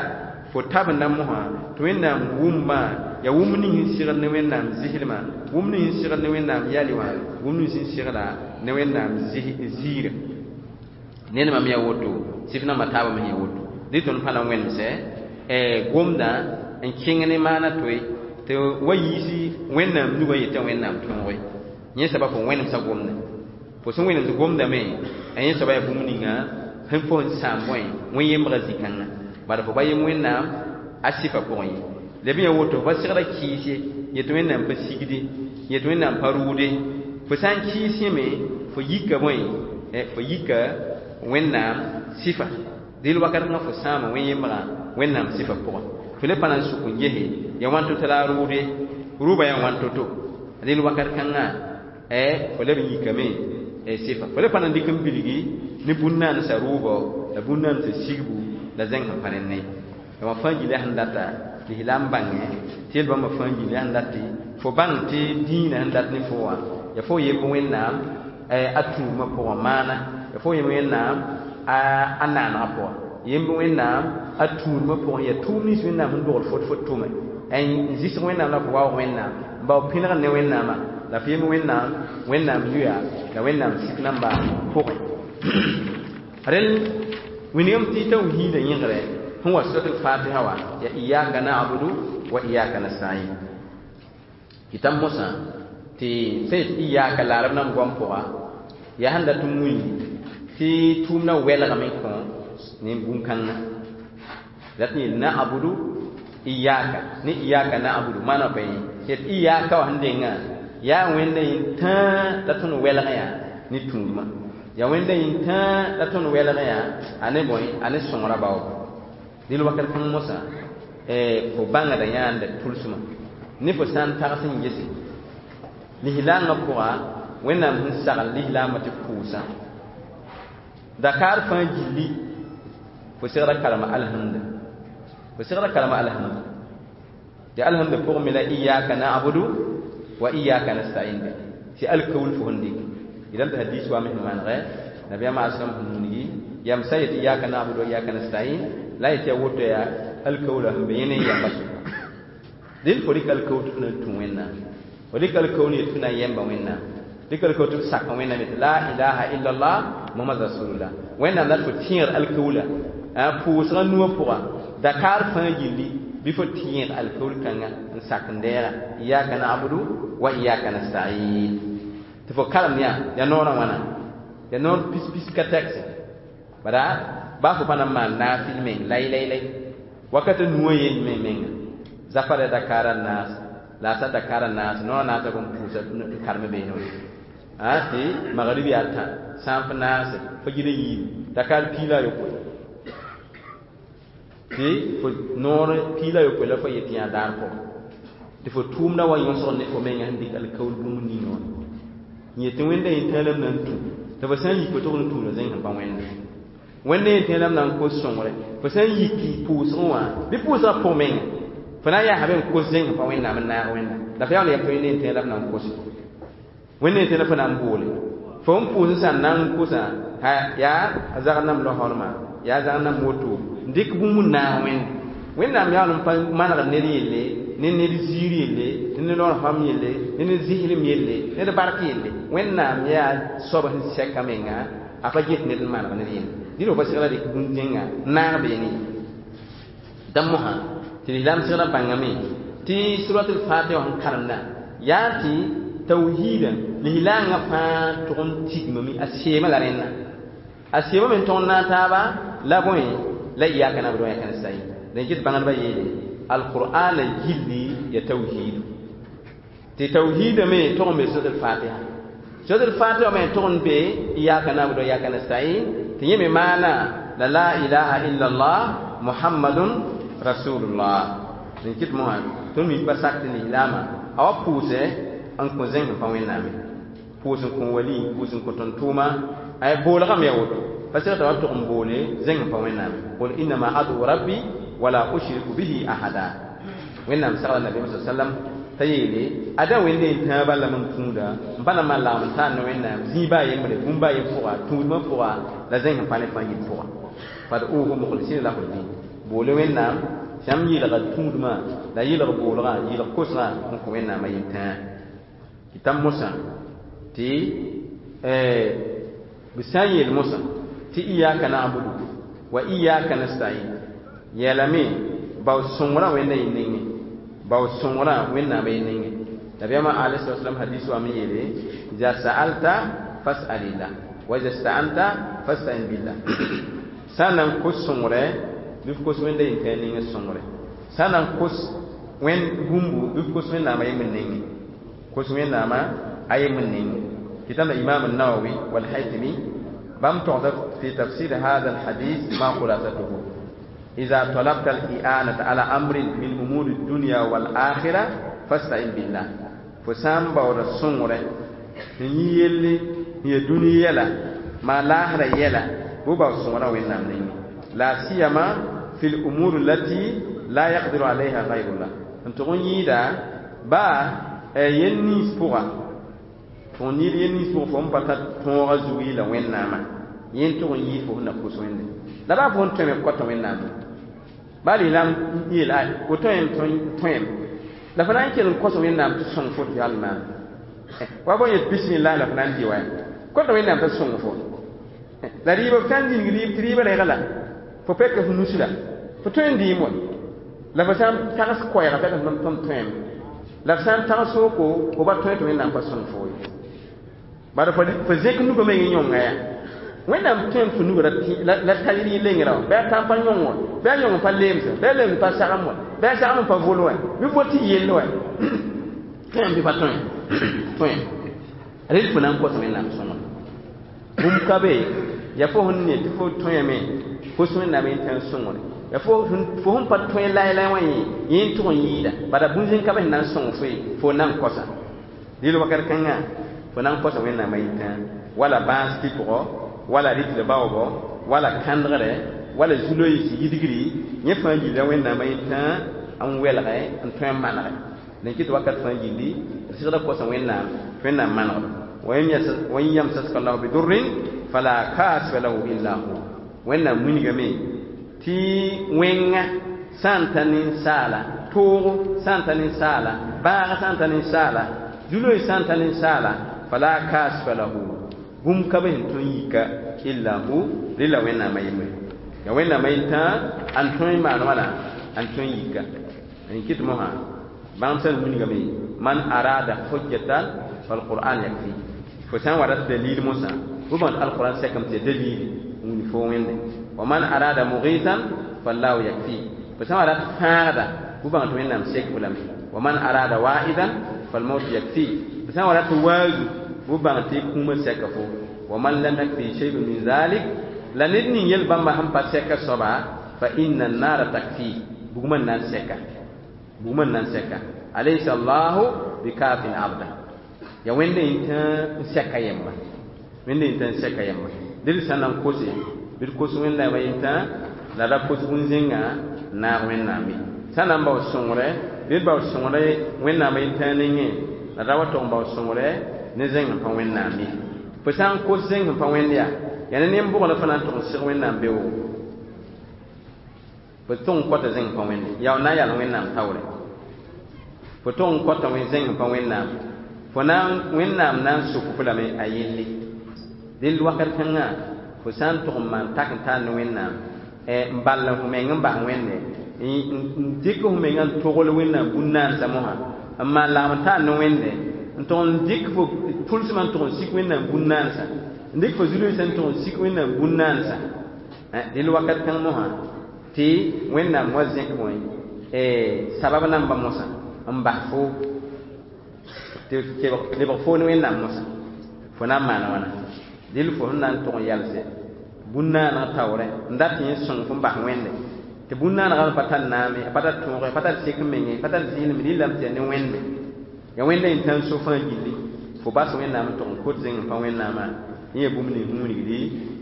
fo tabenda mosã tɩ Wẽnnaam wʋmbã yaa wʋmb ning sẽn sɩgd ne Wẽnnaam zɩslmã, wʋmb ning sẽn sɩgd ne Wẽnnaam yali wã, wʋmb ning sẽn sɩgda ne Wẽnnaam ziirã. Ned me yaa woto, sɩf nambã taabã me yaa woto. Dɩ tõnd pa na n wẽnemsɛ gomdã n kẽng ne maana toe tɩ wa yiisi Wẽnnaam nugã yetã Wẽnnaam tõoge. Yẽ soaba fo wẽnemsã gomdã. Fo sẽn wẽnems gomdame, a yẽ soaba yaa bũmb ninga sẽn fo n sãam bõe wẽn-yembgã zĩ-kãngã. Bala fo ba yem Wẽnnaam a sɩfã pʋgẽ ye. La b yaa woto fo pa sɩgda kɩɩs ye, yetɩ Wẽnnaam pa sigde, yetɩ Wẽnnaam pa rʋʋde. Fo sã n kɩɩs yẽme, fo yika bõe, fo yika Wẽnnaam sɩfa. Dɩl wakat kãngã fo sãama wẽn-yembgã Wẽnnaam sɩfã pʋgẽ. Fo le pa na n sʋk n gese yaa wãn to-to la a rʋʋde, rʋʋbã yaa wãn to-to. Dɩl wakat kãngã fo leb n yikame sɩfa. Fo le pa na n dɩk n bilgi ne bũn-naansã rʋʋbɔ la bũn-naansã sigbu la zẽng sẽn pa rẽnd ye. La wã fãa gilli sẽn data lislaam bãngẽ tɩ yel bãmba fãa gilli sẽn dat tɩ fo bãng tɩ dĩinã sẽn dat ne fo wã yaa fo yemb Wẽnnaam a tũumã pʋgẽ maana, yaa fo yemb Wẽnnaam a naanegã pʋgẽ, yemb Wẽnnaam a tũudmã pʋgẽ, yaa tʋʋm nins Wẽnnaam sẽn dogl fot fo tʋme n zɩsg Wẽnnaam la fo waoog Wẽnnaam n bao pẽnegd ne Wẽnnaamã la fo yemb Wẽnnaam Wẽnnaam yuya la Wẽnnaam sik nambã pʋgẽ. Rel wilgame tɩ tawhiidã yẽgre sẽn wa suratul fatiha wã yaa iyaka na'budu wa iyaka nasta'in. Kɩta mosã tɩ sẽn yet iyaka la arab nam goam pʋga yaa sẽn dat n wilgi tɩ tʋʋmdã wɛlgame n kõ ne bũn-kãngã. Dat n yeel na'budu iyaka ne iyaka na'budu maana pa yẽ yet iyaka wã sẽn dengã yaa Wẽnda yẽn-tãa la tõnd wɛlg yaa ne tũudmã, yaa Wẽnda yẽn-tãa la tõnd wɛlg yaa a ne bõe a ne sõngrã baoogo. Dɩl wakat kãng mosã fo bãngda yãanda tʋlsmã ne fo sã n tags n gese lislaangã pʋga Wẽnnaam sẽn sagl lislaambã tɩ pʋʋsã dakaar fãa gilli fo sɩgda karema alhamda, fo sɩgda karema alhamda. Tɩ alhamda pʋgẽ me la iyaka na'budu wa iyaka nasta'in be tɩ alkaul fo sẽn dɩk yelame tɩ hadis wa me sẽn manegɛ nabiyaamã aslam sẽn wilgi yam sã yet iyaka na'budu wa iyaka nasta'in la yetɩ yaa woto yaa alkaula sẽn be yẽ ne yamba sʋka. Dẽnd fo rɩk alkaul tɩ f na n tũ Wẽnnaam, fo rɩk alkaul yetɩ f na n yẽmba Wẽnnaam, rɩk alkaul tɩ f sak Wẽnnaam yetɩ la ilaha illallah Muhammad rasulullah. Wẽnnaam la tɩ fo tẽegd alkaula pʋʋsgã nuwã pʋga dakaar fãa gilli bɩ fo tẽeg alkaul kãngã n sak n deega iyaka na'budu wa iyaka nasta'in. Tɩ fo karem yaa yaa noorã wãna yaa noor pis-pis ka tɛgse bara baa fo pa na n maan naafɩl meng lay lay lay wakata nuwã yen me menga zafara dakaara naas la sa dakaara naas noorã naasã bõn pʋʋsa n karem beene wã tɩ magrib yaa tã sãn f naase fajirã yiibu dakaar piig la a yopoe tɩ fo noor piig la a yopoe la fo yet yã daar pʋgẽ tɩ fo tʋʋmdã wa yõsg ne fo menga sẽn dɩk alkaul bũmb ninga wã n yetɩ Wẽnda yẽn-tãa la m na n tũ tɩ fo sã n yik fo tog n tũuda zẽng sẽn pa wẽnda. Wẽnda yẽn-tãa la m na n kos sõngre fo sã n yik pʋʋsgẽ wã bɩ pʋʋsgã pʋg menga Fo na n yaa be n kos zẽng sẽn pa Wẽnnaam n naag Wẽnnaam. La fo yaool n yam tɩ wẽnd n tẽeg la f na n kose. Wẽnd n tẽeg la fo na n boole. Fo n pʋʋs n sã n na n kosã, yaa a zagr nam losrmã, yaa a zagr nam woto, n dɩk bũmb n naag Wẽnde. Wẽnnaam yaool n pa manegd ned yelle, ne ned ziir yelle, ne ned lorfam yelle, ne ned zɩslem yelle, ned bark yelle. Wẽnnaam yaa soab sẽn sɛka menga, a pa get ned n maneg ned yelle. Dĩd fo pa segla dɩk bũn-zẽnga n naag beene ye. Dã mosã tɩ lislaam segrã bãngame tɩ surat al-fatiha sẽn karemda yaa tɩ tawhiida lislaangã fãa tʋg n tigmame a seemã la rẽnna. A seemame n tõg n naag taaba la bõe la iyaka na'budu wa iyaka nasta'in. Dẽn kɩt bãngdbã yeele alqur'ana gilli ya tawhiidu. Tɩ tawhiida me tʋg n be surat al-fatiha. Surat al-fatiha me tʋg n be iyaka na'budu wa iyaka nasta'in tɩ yẽ me maana la la ilaha illa allah muhammadun rasulullah. Dẽn kɩt mosã tõnd mi pa sak tɩ lislaamã a wa pʋʋsɛ n kõ zẽng sẽn pa Wẽnnaam ye. Pʋʋs n kõ wali, pʋʋs n kõ tõnd-tʋʋma, ay boolgame ya woto. Pa segl t'a wa tʋg n boole zẽng sẽn pa Wẽnnaam. Qul innama ad'u rabbi wala ushriku bihi ahada. Wẽnnaam sagla nabiyaam sa sallam t'a yeele ada wẽnde n tãa bala mam tũuda n pa na maan lagem n taan ne Wẽnnaam zĩig baa yembre, bũmb baa yen pʋga, tũudmã pʋga, la zẽng sẽn pa ne fãa yit pʋga. Fad'uhu mukhlisina lahu ddin. Boole Wẽnnaam sãmb yɩlga tũudmã la yɩlg boolgã, yɩlg kosgã n kõ Wẽnnaam a yel-tãa. Tɩ t'a mosã tɩ b sã n yeel mosã tɩ iyaka na'budu wa iyaka nasta'in yeelame bao sõngrã Wẽnda yẽ nengẽ, bao sõngrã Wẽnnaamã yẽ nengẽ. Nabiyaamã alayhi salatu wasalam hadis wa me yeele iza sa'alta fas'alillah wa iza sta'anta fasta'in billah. Sã n na n kos sõngre bɩ f kos Wẽnda yẽ tãa nengẽ sõngre. Sã n na n kos wẽnd bũmbu bɩ f kos Wẽnnaamã yembr nengẽ. Kos Wẽnnaamã a yembr nengẽ. Tɩ Imam an-Nawawi wal Haythami bãmb togsa fi tafsir hada al-hadith ma khulasatuhu. Iza talabta al-i'anata ala amrin min umuri dunya wal akhirah fasta'in billah. Fo sã n baooda sõngre n yĩ yelle n ya dũni yɛla maa laasrã yɛla bɩ bao sõngrã Wẽnnaam nengẽ. La siyama fi l-umur allati la yaqdiru alayha ghayrullah. N tʋg n yɩɩda baa yel nins pʋga fo n yɩɩd yel nins pʋgã fo n pa tar tõogã zug yɩla Wẽnnaamã yẽ n tʋg n yɩɩd fo sẽn na kos Wẽnde. La baa fo n tõeme kɔtã Wẽnnaam baa lislaam yeel fo tõem tõem la fo na n kell n kos Wẽnnaam tɩ sõng fo tɩ yall maan. Wa bõe yet bismillah la fo na n dɩ wa kɔtã Wẽnnaam t'a sõng fo. La rɩɩbã f sã n dĩng rɩɩb tɩ rɩɩbã regla fo pɛka f nus la fo tõe n dɩɩm wa la fo sã n tags koɛɛgã pɛka f tõm tõem la f sã n tags soko fo ba tõe tɩ Wẽnnaam pa sõng fo ye. Bara fo zẽk nugã meng n yõnga yaa Wẽnnaam tõem fo nugã la tar yẽ lengrã wã bɩ a tãn pa yõng wã bɩ a yõng pa leemsã bɩ a leemd pa sagem wã bɩ a sagem pa vol wã bɩ vol tɩ yell wã tõem bɩ pa tõe tõe rel fo na n kos Wẽnnaam sõngr. Bũmb ka be yaa fo sẽn ne tɩ fo tõeme kos Wẽnnaam yẽ tã n sõngre. Yaa fo sẽn pa tõe laay-laay wã yẽ yẽ n tʋg n yɩɩda bala bũn-zẽng ka be sẽn na n sõng fo ye fo na n kosa. Dɩl wakat kãngã fo na n kosa Wẽnnaamã yẽ tã wala bãas pɩpgɔ wala rɩtl baoobɔ wala kãndgre wala zu-loees yidgri yẽ fãa yilla Wẽnnaamã yẽ tã n welge n tõe n manege. Dẽn kɩt wakat fãa gilli d sɩgda kosa Wẽnnaam tɩ Wẽnnaam manegdo. Wa in yamsaska llahu bidurrin fala kashifa lahu illa hu. Wẽnnaam wilgame tɩ wẽnga sã n ta ninsaala toogo sã n ta ninsaala bãaga sã n ta ninsaala zu-loees sã n ta ninsaala fala kashifa lahu bũmb ka be sẽn tõe n yika illa hu rɩla Wẽnnaamã yembre. Ya Wẽnnaamã yetã n tõe n maan wãna n tõe n yika. N kɩt mosã bãmb sẽn wilgame man arada hujjatan falquran yakfi. Fo sã n wa rat dalil mosã bɩ bãnd alquran sɛkame tɩ ya dalili n wilg fo Wẽnde. Wa man arada mughitan fallahu yakfi. Fo sã n wa rat fãagda bɩ bãng tɩ Wẽnnaam sek fo lame. Wa man arada wa'idan falmaut yakfi. Fo sã n wa rat waazu bɩ bãng tɩ kũumã sɛka fo. Wa man lam yakfi shay'un min zalik la ned ning yel bãmba sẽn pa sɛka soaba fa inna an-nara takfi. Bugmã n na n sɛka, bugmã n na n sɛka. Alaysa allahu bikafin abda. Ya Wẽnda yẽ tã n sɛka yemba, Wẽnda yẽ tã n sɛka yemba. Dɩl sã n na n kose bɩ d kos Wẽnnaamã yẽ tã la ra kos bũn-zẽngã n naag Wẽnnaam ye. Sã n na n bao sõngre, bɩ d bao sõngre Wẽnnaam yentãag nengẽ, la ra wa tog n bao sõngre ne zẽng sẽn pa Wẽnnaam ye. Fo sã n kos zẽng sẽn pa Wẽnd yaa, yaa ne nen-bʋgã la fo na n tog n seg Wẽnnaam beoogo. Fo tog n kota zẽng sẽn pa Wẽnde, yaa f na n yal Wẽnnaam taoore. Fo tog n kota zẽng sẽn pa Wẽnnaam, fo na n Wẽnnaam na n sok fo lame a yelle. Dẽnd wakat kãngã, fo sã n tog n maan tak n taar ne Wẽnnaam, n ball f meng n bas Wẽnde, n dɩk f mengã n togl Wẽnnaam bũn-naansã mosã, n maan lagem n taar ne Wẽnde, n tog n dɩk fo tʋlsmã n tog n sik Wẽnnaam bũn-naansã, n dɩk fo zu-loeesã n tog n sik Wẽnnaam bũn-naansã. Dẽnd wakat kãng mosã, tɩ Wẽnnaam wa zẽk bõe sabab namba mosã n bas fo tɩ lebg fo ne Wẽnnaam mosã, fo na n maana wãna. Dɩl fo sẽn na n tog n yalse bũn-naaneg taoorẽ n dat yẽ sõng fo n bas Wẽnde, tɩ bũn-naanegã pa tar naame, a pa tar tõoge, a pa tar sek menge, a pa tar zɩɩlem, rɩlame tɩ yaa ne Wẽnde. Yaa Wẽnda yẽn so fãa gilli, fo bas Wẽnnaam n tog n kot zẽng n pa Wẽnnaamã, yẽ yaa bũmb ning sẽn wilgdi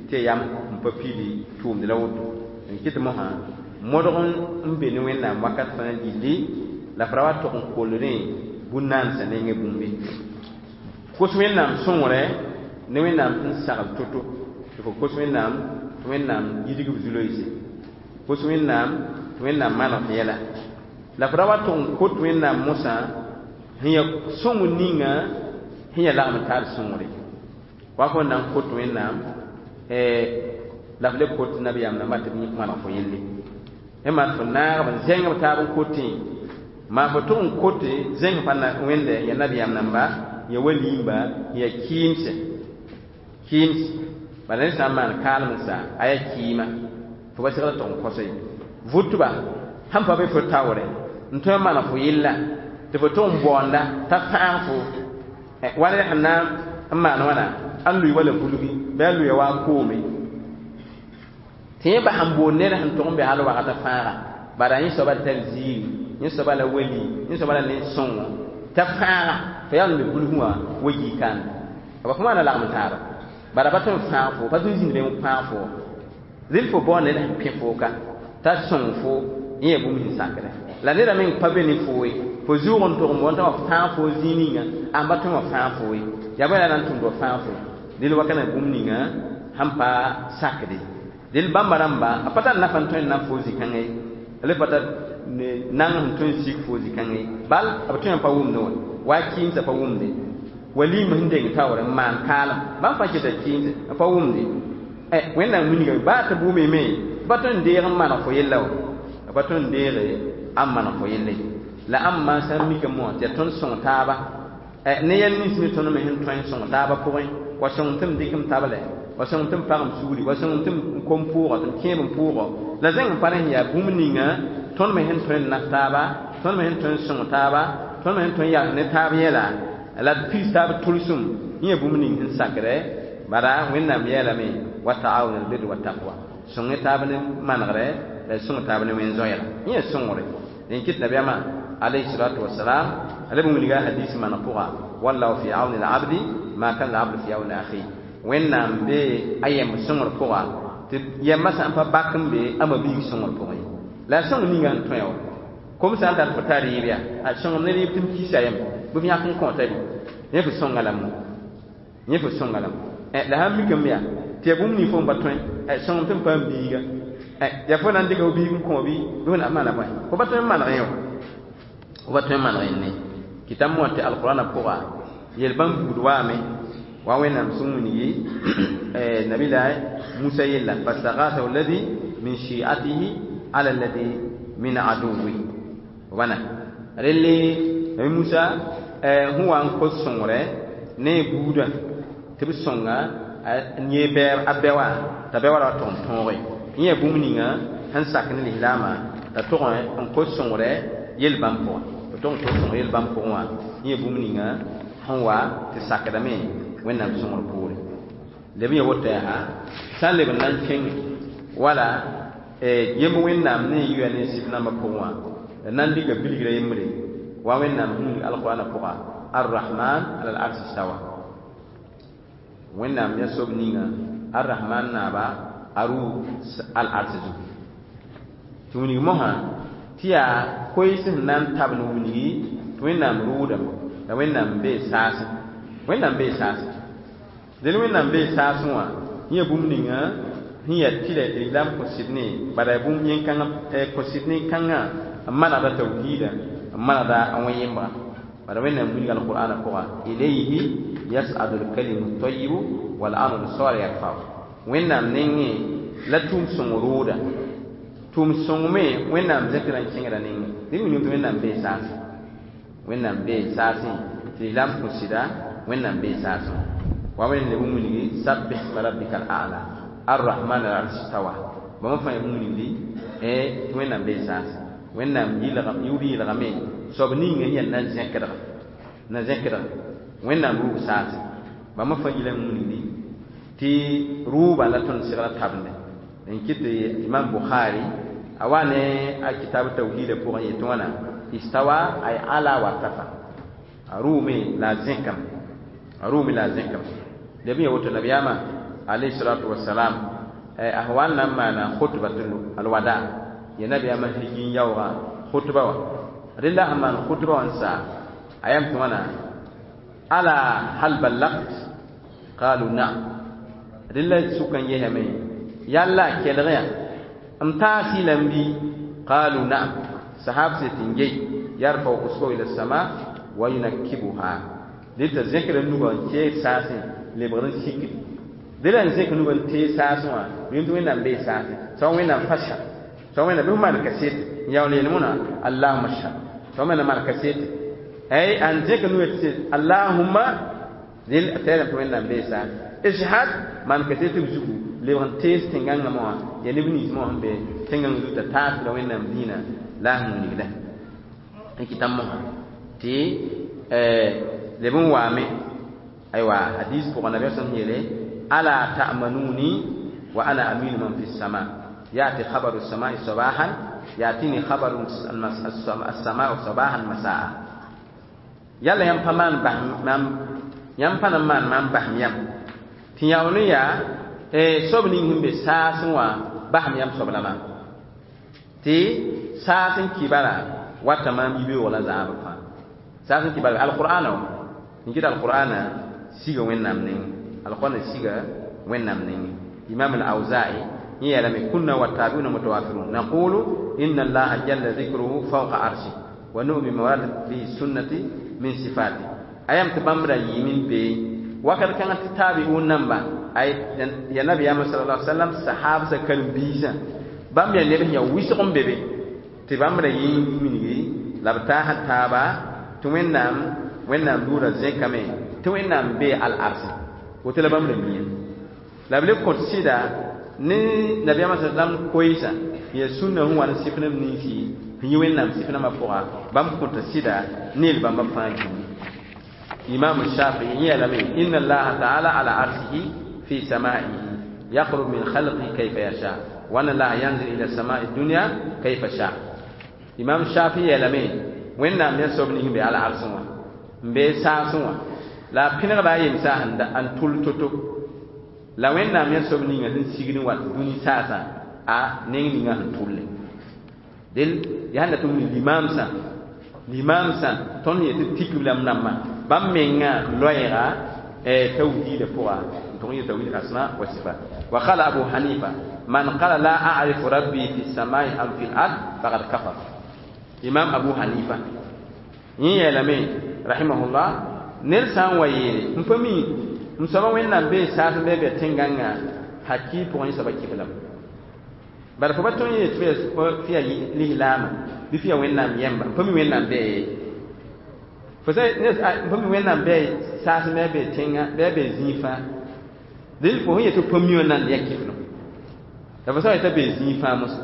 tɩ ya yam n pa pili tʋʋmd la woto. N kɩt mosã modg n be ne Wẽnnaam wakat fãa gilli, la f ra wa tog n koldẽ bũn-naansã nengẽ bũmbe. Kos Wẽnnaam sõngre ne Wẽnnaam sẽn sagl to-to, tɩ fo kos Wẽnnaam tɩ Wẽnnaam yidg f zu-loeese, kos Wẽnnaam tɩ Wẽnnaam maneg f yɛla, la f ra wa tog n kot Wẽnnaam mosã sẽn yaa sõng ninga sẽn yaa lagem n taar sõngre. Wa fo n na n kot Wẽnnaam la f le kot nabiyaam namba tɩ b maneg fo yelle. Ẽ maan fo naagb n zẽng b taab n kotẽ, maa fo tog n kote zẽng pa Wẽnde yaa nabiyaam namba, yaa waliimba, yaa kɩɩmse. Kɩɩms bala ned sã n maan kaalem n sa a yaa kɩɩma, fo pa segl tog n kosa ye. Vʋtba sãn pa be fo taoorẽ n tõe n maneg fo yella tɩ fo tog n baoonda t'a fãag fo wa ned sẽn na n maan wãna, a lʋɩ wala bulgi bɩ a lʋɩa wa a koome. Tɩ yẽ bas n boond ned sẽn tog n be hal wakata fãaga, bara yẽ soaba tar ziiri, yẽ soaba la wali, yẽ soaba la nen-sõngo t'a fãaga, fo yaa n be bulsẽ wã wa yii kãande. B fo maana lagem taaba, bara pa tõe n fãag fo, pa tõe n zĩnd be n fãag fo. Rɩl fo bao ned sẽn pẽ fo ka t'a sõng fo, yẽ yaa bũmb sẽn sakdẽ. La neda meng pa be ne fo ye, fo zʋʋg n tog n boond t'a wa fãag fo zĩig ninga, a pa tõe n wa fãag fo ye. Yaa bõe la na n tʋmd wa fãag fo? Dẽl wakana bũmb ninga sẽn pa sakde. Dẽl bãmba rãmba, a pa tar nafa n tõe n na fo zĩ-kãngã ye, a le pa tar nang sẽn tõe n sik fo zĩ-kãngã ye. Bal b tõe n pa wʋmdẽ wã, wa a kɩɩmsã pa wʋmde. Waliim sẽn deng taoorẽ n maan kaalem, bãmb fãa keta kɩɩmse, b pa wʋmde. Wẽnnaam wilgame baa tɩ bʋʋme me, tɩ pa tõe n deeg n maneg fo yella wã, b pa tõe n deege n maneg fo yelle. La ãmba sã n mikame wã tɩ yaa tõnd sõng taaba ne yɛl nins me tõnd me sẽn tõe n sõng taaba pʋgẽ, wa sõng tɩ m dɩk m tablɛ, wa sõng tɩ m pag m sugri, wa sõng tɩ m kom pʋʋgɔ, tɩ m kẽeb n pʋʋgɔ. La zẽng n pa rẽ sẽn yaa bũmb ninga tõnd me sẽn tõe n naf taaba, tõnd me sẽn tõe n sõng taaba, tõnd me sẽn tõe n yals ne taab yɛla, la d piis taab tʋlsem, yẽ yaa bũmb ning sẽn sakdɛ. Bara Wẽnnaam yeelame wa ta'awun albirri wa taqwa, sõng taab ne manegrɛ la sõng taab ne wẽn-zoɛɛga, yẽ yaa sõngre. Dẽn kɩt nabiyaamã alayhi salatu wasalam a leb n wilga hadis maneg pʋga, wallahu fi auni al-abdi ma kana al-abdu fi auni akhi. Wẽnnaam be a yemb sõngr pʋga, tɩ yembã sã n pa bak n be a ma-biig sõngr pʋgẽ ye. La a sõng ninga sẽn tõe wã, kom sã n tar fo tar rɩɩb yaa, a sõngem ne rɩɩb tɩ m kisa yem, bɩ f yãk n kõota rɩ, yẽ fo sõnga lame, yẽ fo sõnga lame. La sãn mikame yaa tɩ yaa bũmb ning fo n pa tõe, sõngem tɩ m paam biiga, yaa fo na n dɩka fo biig n kõ bɩ bɩ fo na n maana bõe, fo pa tõe n maneg yẽ wã, fo pa tõe n maneg yẽnde. Kɩtame wã tɩ alqurãnã pʋga yel-bãmb buud waame, wa Wẽnnaam sẽn wilgi nabila Musa yella, fastaghathahu alladhi min shi'atihi ala alladhi min aduwwi. Wãna relle Nabi Musa sẽn wa n kos sõngre ne a buudã tɩ b sõnga n yee a bɛ wã, t'a bɛ wã ra wa tog n tõoge. Yẽ yaa bũmb ninga sẽn sak ne lislaamã t'a tog n kos sõngre yel-bãmb pʋgã, tɩ tog n kos sõngre yel-bãmb pʋgẽ wã, yẽ yaa bũmb ninga sẽn wa tɩ sakdame Wẽnnaam sõngr poore. Leb n ya woto yaa sã n leb n na n kẽng wala yemb Wẽnnaam ne yuya ne sɩf nambã pʋgẽ wã, la na n dɩka bilgrã yembre wa Wẽnnaam sẽn wilg alqurãnã pʋga, arrahman ala al-arsi stawa. Wẽnnaam yaa soab ninga arrahman naaba a rʋ al-arsi zugu. Tɩ wilg mosã Tɩ yaa koees sẽn na n tabl wilgi tɩ Wẽnnaam rʋʋdame la Wẽnnaam bee saasẽ. Wẽnnaam bee saasẽ. Dẽn Wẽnnaam bee saasẽ wã yẽ bũmb ninga sẽn yaa tɩlɛ tɩ lislaam kõ sɩd ne bala yaa bũmb yẽn-kãngã kõ sɩd nin-kãngã n manegda tawhiida n manegda a wẽ-yembga. Bala Wẽnnaam wilga alqur'ana pʋga ilayhi yas'adu lkalimu tayibu wal-amalu salih yarfa'u. Wẽnnaam nengẽ la tʋʋm sõng rooda. Tʋʋm sõng me Wẽnnaam zẽkra n kẽngda nengẽ. Dẽnd wilg tɩ Wẽnnaam bee saasẽ. Wẽnnaam bee saasẽ tɩ lislaam kõ sɩda Wẽnnaam bee saasẽ. Wa wẽnd leb n wilgi sabbih isma rabbika al-a'la ar-rahman al-arsh istawa. Bãmb fãa yaa bũmb ningdi tɩ Wẽnnaam bee saasẽ. Wẽnnaam yʋʋr yɩlgame soab ninga sẽn yaa na zẽkdga na zẽkdga Wẽnnaam rʋʋg saasẽ. Bãmb fãa yɩla n wilgdi tɩ rʋʋba la tõnd segra tabende. N kɩt tɩ Imam Bukhari a wa ne a kitab tawhiida pʋgẽ yetɩ wãna istawa ay ala wartafa. A rʋʋme la a zẽkame. A rʋʋme la a zẽkame. Leb n ya woto nabiyaamã alayhi salatu wasalam a sẽn wa n na n maana khutbatul alwada ya nabiyaamã hiji n yaoogã khutba wã. Rẽ la sẽn maan khutba wã n saa a yam tɩ wãna ala hal ballagt qalu na'am. Rẽ la sʋka n yesame yalla a kelg yaa m taas-y la n bɩ qalu na'am. Sahab sẽn tɩ n gei yarfau usbahu ila sama wa yunakkibuha. Dẽ t'a zẽkra nugã n keeg saasẽ lebgd n sikdi. Dẽ la n zẽk nugã n teeg saasẽ wã rẽnd tɩ Wẽnnaam bee saasẽ. Soab Wẽnnaam fashhad. Soab Wẽnnaam bɩ f maan kaset n yaool yeel mõna Allahumma shhad. Soab Wẽnnaam maan kaset ay an zẽk nugã tɩ Allahumma dẽl a tɛɛlame tɩ Wẽnnaam bee saasẽ. Ishhad maan kaset b zugu lebg n tees tẽn-gãngã wã yaa neb nins mosã sẽn be tẽn-gãng zugu t'a taas la Wẽnnaam dĩinã la a sẽn wilgda. N kɩta mosã tɩ leb n waame aywa hadis pʋgã nabiyaam sẽn yeele ala ta'manuni wa ana aminu man fi sama yati khabaru samai sabahan yatini khabaru as-samau sabahan masaa. Yalla yãmb pa maan bas mam yãmb pa na n maan maam basem yãmb tɩ yaool n yaa soab ning sẽn be saasẽ wã basem yãmb soab la maam tɩ saas n kɩ bala wata maam yibeoog la zãab fãa. Saas n kɩ bala alqur'ana wã n kɩt alqur'ana siga Wẽnnaam nengẽ. Alqur'ana siga Wẽnnaam nengẽ. Imam al-Awza'i yẽ yeelame kunna wattabi'una mutawafirun naqulu inna allaha jalla dhikruhu fawqa arshi wa nu'minu bima waradat bihi sunnati min sifati. A yam tɩ bãmb ra yɩɩm n bee wakat kãngã tɩ taabi'un namba ay ya nabiyaamã sallallahu alaihi wasallam sahabsã karen-biisã bãmb yaa neb sẽn yaa wɩsg n be be tɩ bãmb ra yɩ n wilgi la b taasã taaba tɩ Wẽnnaam Wẽnnaam yʋʋrã zẽkame tɩ Wẽnnaam bee al-arsẽ woto la bãmb ra miã. La b le kõt sɩda ne nabiyaamã sa sallam koeesã yaa sũnna sẽn wa n sɩf neb ninsi sẽn yɩ Wẽnnaam sɩf nambã pʋga bãmb kõta sɩda ne yel bãmba fãa gilli. Imam Shafi'i yeelame inna allaha ta'ala ala arshihi fi samaihi yaqrub min khalqihi kayfa yasha wa anna allaha yanzil ila samai dunya kayfa sha. Imam Shafi'i yeelame Wẽnnaam yaa soab ning sẽn be al-arsẽ wã n bee saasẽ wã la a pẽnegda a yemsã n tʋl to-to la Wẽnnaam yaa soab ninga sẽn sigd n wat dũni saasã a neng ninga sẽn tʋlle. Del yaa sẽn dat n wilg limaamsã limaamsã tõnd sẽn yetɩ tikb la m nambã bãmb mengã loɛɛga tawhiida pʋga n tʋg n yɩ tawhid asma wa sifat. Wa qala Abu Hanifa man qala la a'rifu rabbi fi samai am fi l-ard faqad kafar. Imam Abu Hanifa yẽ yeelame rahimahullah ned sã n wa yeele n pa mi m soaba Wẽnnaam bee saasẽ bɩ a bɛ tẽn-gãngã hakɩ pʋgẽ yẽ soaba kɩblame. Bala fo pa tõe n yeel tɩ yaa lislaamã bɩ fo yaa Wẽnnaam yɛmba n pa mi Wẽnnaam bɛɛ fo sã n pa mi Wẽnnaam bɛɛ saasẽ bɩ a bɛ tẽngã bɩ a bɛ zĩig fãa dẽnd fo sẽn yet tɩ pa mi wã nan yaa kɩflem la fo sã wa yet t'a bee zĩig fãa mosã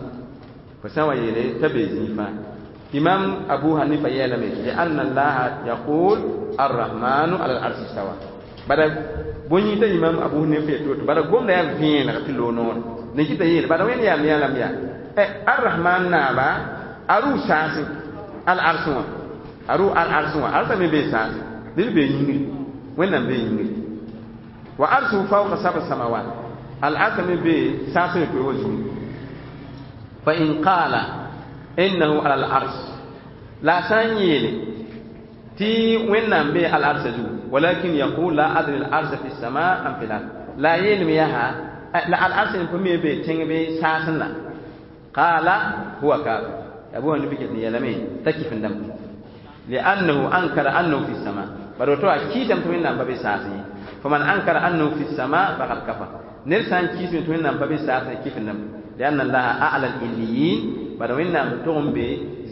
fo sã wa yeele t'a bee zĩig fãa. Imam Abu Hanifa yeelame lianna allaha yaqul arrahmanu ala al-arshi istawa. Bala bõe t'a Imam Abu Hanifa yet woto bala gomda yaa vẽeneg tɩ loog noore ne kɩ t'a yeele bala Wẽnd yaam yaa lame yaa arrahman naaba a rʋʋ saasẽ al-arsẽ wã a rʋʋ al-arsẽ wã arsã me bee saasẽ dẽnd bee yĩngri Wẽnnaam bee yĩngri wa arsuhu fawqa sab'a samawat al-arsã me bee saasẽ me koe wa zugu fa in qaala Innahu ala al-arsh la sã n yeele tɩ Wẽnnaam bee al-arsã zugu, walakin yaqul la adri al-arsha fi sama am fi l-ard, la a yeelame yaa la al-ars n pa mi bee tẽng bee saasẽ la, qala huwa kafir. Abu Hanifa ket n yeelame t'a kifendame, li'annahu ankara annahu fi sama, bari woto a kiisame tɩ Wẽnnaam pa be saasẽ ye. Faman ankara annahu fi sama faqad kafar, ned sã n kiisame tɩ Wẽnnaam pa be saasẽ, kifendame, li'anna Allaha a'la al-illiyin, bari Wẽnnaam tʋg n be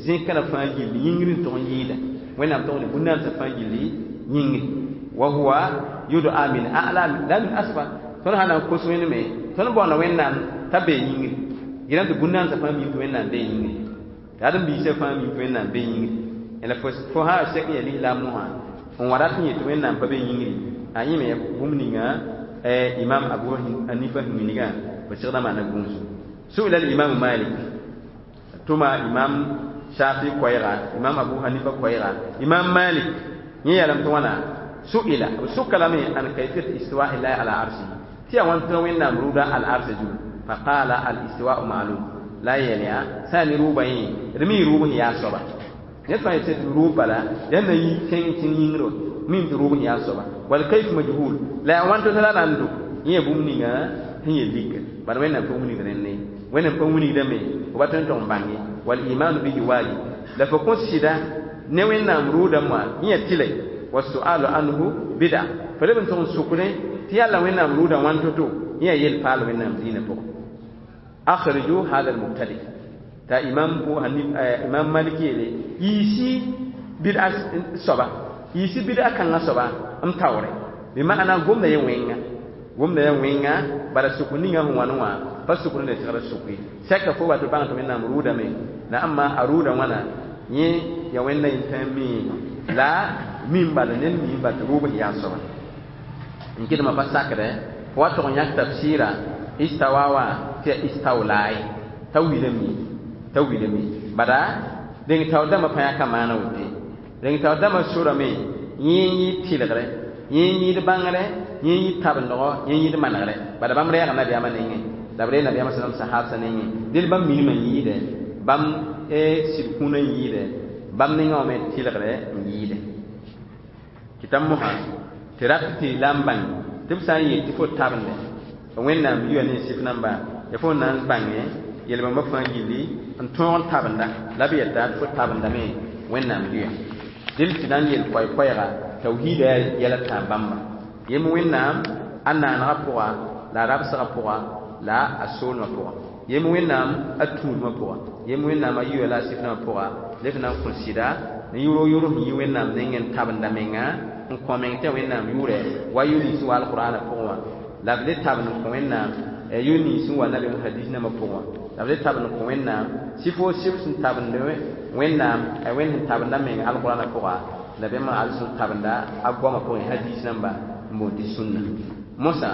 zẽ-kãra fãa gilli yĩngr n tʋg n yɩɩda, Wẽnnaam tʋg ne bũn-naamsã fãa gilli yĩngri, wa huwa yud'a min a'la la min asfal. Tõnd sã na n kos Wẽnd me, tõnd baoonda Wẽnnaam t'a bee yĩngri, gɩrame tɩ bũn-naamsã fãa mim tɩ Wẽnnaam bee yĩngri, tɩ ãdem-biisã fãa mim tɩ Wẽnnaam bee yĩngri. La fo sã sek n yaa lislaam mosã n wa rat n yet tɩ Wẽnnaam pa be yĩngri, a yẽ me bũmb ninga Imam Abu Hanifa sẽn wilgã b segda maana gũus. Su'ila al-Imam Malik, tʋma Imam Shafi koɛɛga, Imam Abu Hanifa koɛɛga, Imam Malik yẽ yeelame tɩ wãna, su'ila b sʋka lame an kayfiyat istiwa illahi ala arsihi, tɩ yaa wãn tɩ Wẽnnaam rʋʋda al-arsa zugu, faqala al-istiwa'u ma'lum, la a yeel yaa sã n ne rʋʋbã yẽ d mi rʋʋb sẽn yaa soaba. Ned fãa yetɩ tɩ rʋʋb bala yaa na yi kẽng tẽng yĩngr mim tɩ rʋʋb sẽn yaa soaba, wal kayf majhul, la yaa wãn tɩ la na n do yẽ yaa bũmb ninga sẽn yel lika, bala Wẽnnaam pa wilgd rẽnd ye, Wẽnnaam pa wilgdame fo pa tõe n tʋg n bãng ye. Wal imanu bihi wajib, la fo kõ sɩda ne Wẽnnaam rʋʋdã moa yẽ yaa tɩlɛ, wa su'alu anhu bid'a, fo leb n tʋg n sʋkdẽ tɩ yalla Wẽnnaam rʋʋdã wãn to-to, yẽ yaa yel paal Wẽnnaam diinã pʋgẽ. Akhriju hada al-mubtadi, t'a Imam Imam Malik yeele yiisi bid'a soaba, yiisi bid'a kãngã soaba n taoore, bɩ ma'ana gomda ye wẽnga, gomda ya wẽnga, bala sʋk ninga sẽn wãn wã pa sʋkd n le segd sʋk ye. Sɛka fo wa tɩ bãng tɩ Wẽnnaam rʋʋdame la ãmba a rʋʋda wãna yẽ ya Wẽnda yĩn-tãa mii la mim bala ned mii bal tɩ rʋʋb sẽn yaa soaba n kɩdmã pa sakdɛ fo wa tʋg n yãk tafsɩɩra istawa wã tɩ yaa istawlaa ye t'a wilame, t'a wilame, bala dẽng taoor dãmbã pa yãka maana woto, dẽng taoor dãmbã sorame yẽ n yɩ tɩlgrɛ, yẽ n yɩɩd bãngrɛ, yẽ n yɩ tabendgɔ, yẽ n yɩɩd manegrɛ, bala bãmb reega nabiyaamã nengẽ la b ree nabiyaamã sallam sahabsã nengẽ, dẽl bãmb minimã n yɩɩdɛ, bãmb sɩd kũunã n yɩɩdɛ, bãmb nengã wã me tɩlgrɛ n yɩɩdɛ. Kɩta mosã tɩ rat tɩ la n bãng tɩ b sã n yeel tɩ fo tabende Wẽnnaam yuya ne sɩf namba ya fo na n bãnge yel-bãmba fãa gilli n tõog n tabenda la b yeta tɩ fo tabendame Wẽnnaam yuya. Dẽl tɩ na n yel koɛɛ-koɛɛga tawhiida yɛla tãab bãmba yem Wẽnnaam a naanegã pʋga la a rabsgã pʋga la a soolmã pʋga, yem Wẽnnaam a tũudmã pʋga, yem Wẽnnaam a yuya la a sɩf nambã pʋga, la f na n kõ sɩda ne yʋrg-yʋrg sẽn yi Wẽnnaam nengẽ n tabenda menga n kõ meng tɩ Wẽnnaam yʋʋrɛ wa yʋ-nins sẽn wa alqur'ana pʋgẽ wã, la b le tabend n kõ Wẽnnaam yʋ-nins sẽn wa nabiyaam hadis nambã pʋgẽ wã, la b le tabend n kõ Wẽnnaam sɩfo sɩf sẽn tabend Wẽnnaam Wẽnd sẽn tabenda menga alqur'ana pʋga, la bãmb al sẽn tabenda a goamã pʋgẽ hadis namba n boond tɩ sũnna. Mosã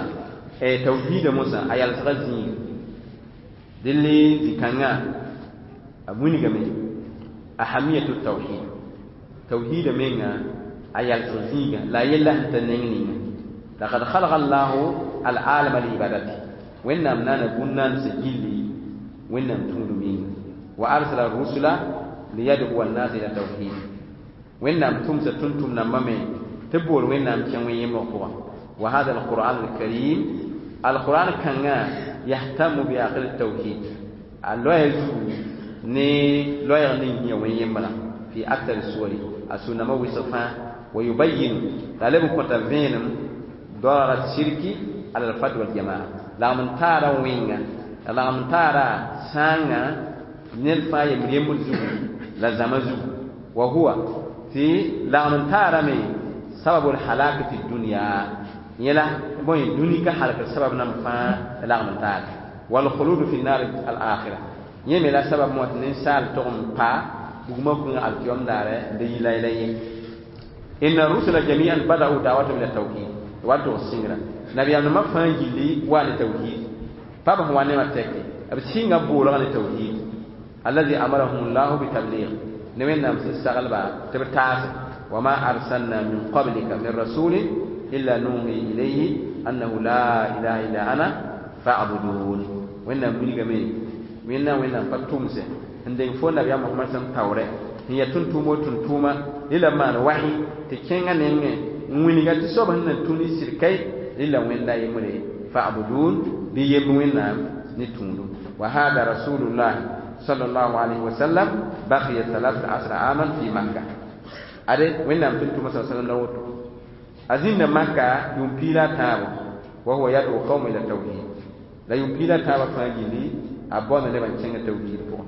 tawhiida mosã a yalsgã zĩiga dẽl zĩ-kãngã a wilgame ahamiyatu tawhid, tawhiida menga a yalsg zĩiga la a yella sẽn ta neng ninga. Laqad khalaqa Allahu al-alama li ibadati, Wẽnnaam naana bũn-naandsã gilli Wẽnnaam tũudum yĩnga, wa arsala rusula liyad'uwa an-nas ila tawhid, Wẽnnaam tʋmsa tʋm-tʋm nambã me tɩ b bool Wẽnnaam kẽng wẽn-yembg pʋga. Wa hada al-Qur'an al-karim, al-Qur'an kãngã yahtamu bi aqil tawhid, a loɛɛ zugu ne loɛɛg ning yã wẽn-yembrã fi aktar suwari a sũ-nambã wɩsg fãa, wa yubayinu la leb n kõta vẽenem darar sirki ala al-fard wal jamaa, lagm n taara wẽnga la lagm n taara sãangã ned fãa yembr yembr zugu la zãma zugu, wa huwa tɩ lagm n taarame sababul halaki fi dunya, yẽla bõe dũni ka halkr sabab nam fãa lagm n taara, wal khuludu fi nar al akhira, yẽ me la sabab mo tɩ ninsaal tʋg n pa bugmã kũngã alkiyom daare n da yi layla ye. Inna rusula jami'an bada'u da'watahum ila tawhid, wa tʋg sɩngra nabiyaamdãmbã fãa gilli wa ne tawhid, pa b sẽn wa nemã tɛke b sɩnga boolgã ne tawhid allazi amarahum llahu bitabligh, ne Wẽnnaam sẽn saglba tɩ b taase, wa ma arsalna min qablika min rasulin illa nuhi ilayhi annahu la ilaha illa ana fa'budun. Wẽnnaam wilgame Wẽnnaam Wẽnnaam pa tʋmse N deng fo nabiyaam Mohamad sẽn taoorɛ n yaa tʋm-tʋʋm o tʋm-tʋʋma rɩla maan wahi tɩ kẽngã nengẽ n wilga tɩ soab sẽn na tũ ne sɩd kai rɩla Wẽnda yembre fa'budun bɩ yemb Wẽnnaam ne tũudu. Wa hada rasulullah sallallahu alayhi wa sallam baqiya 13 aman fi Makka. Ade Wẽnnaam tʋm-tʋʋma sa sallam la woto a zĩnda Maka yʋʋm piig la a tãabo wa huwa yad'u qawma ila tawhid la yʋʋm piig la a tãabã fãa gilli a baoonda nebã n kẽngã tawhiid pʋgẽ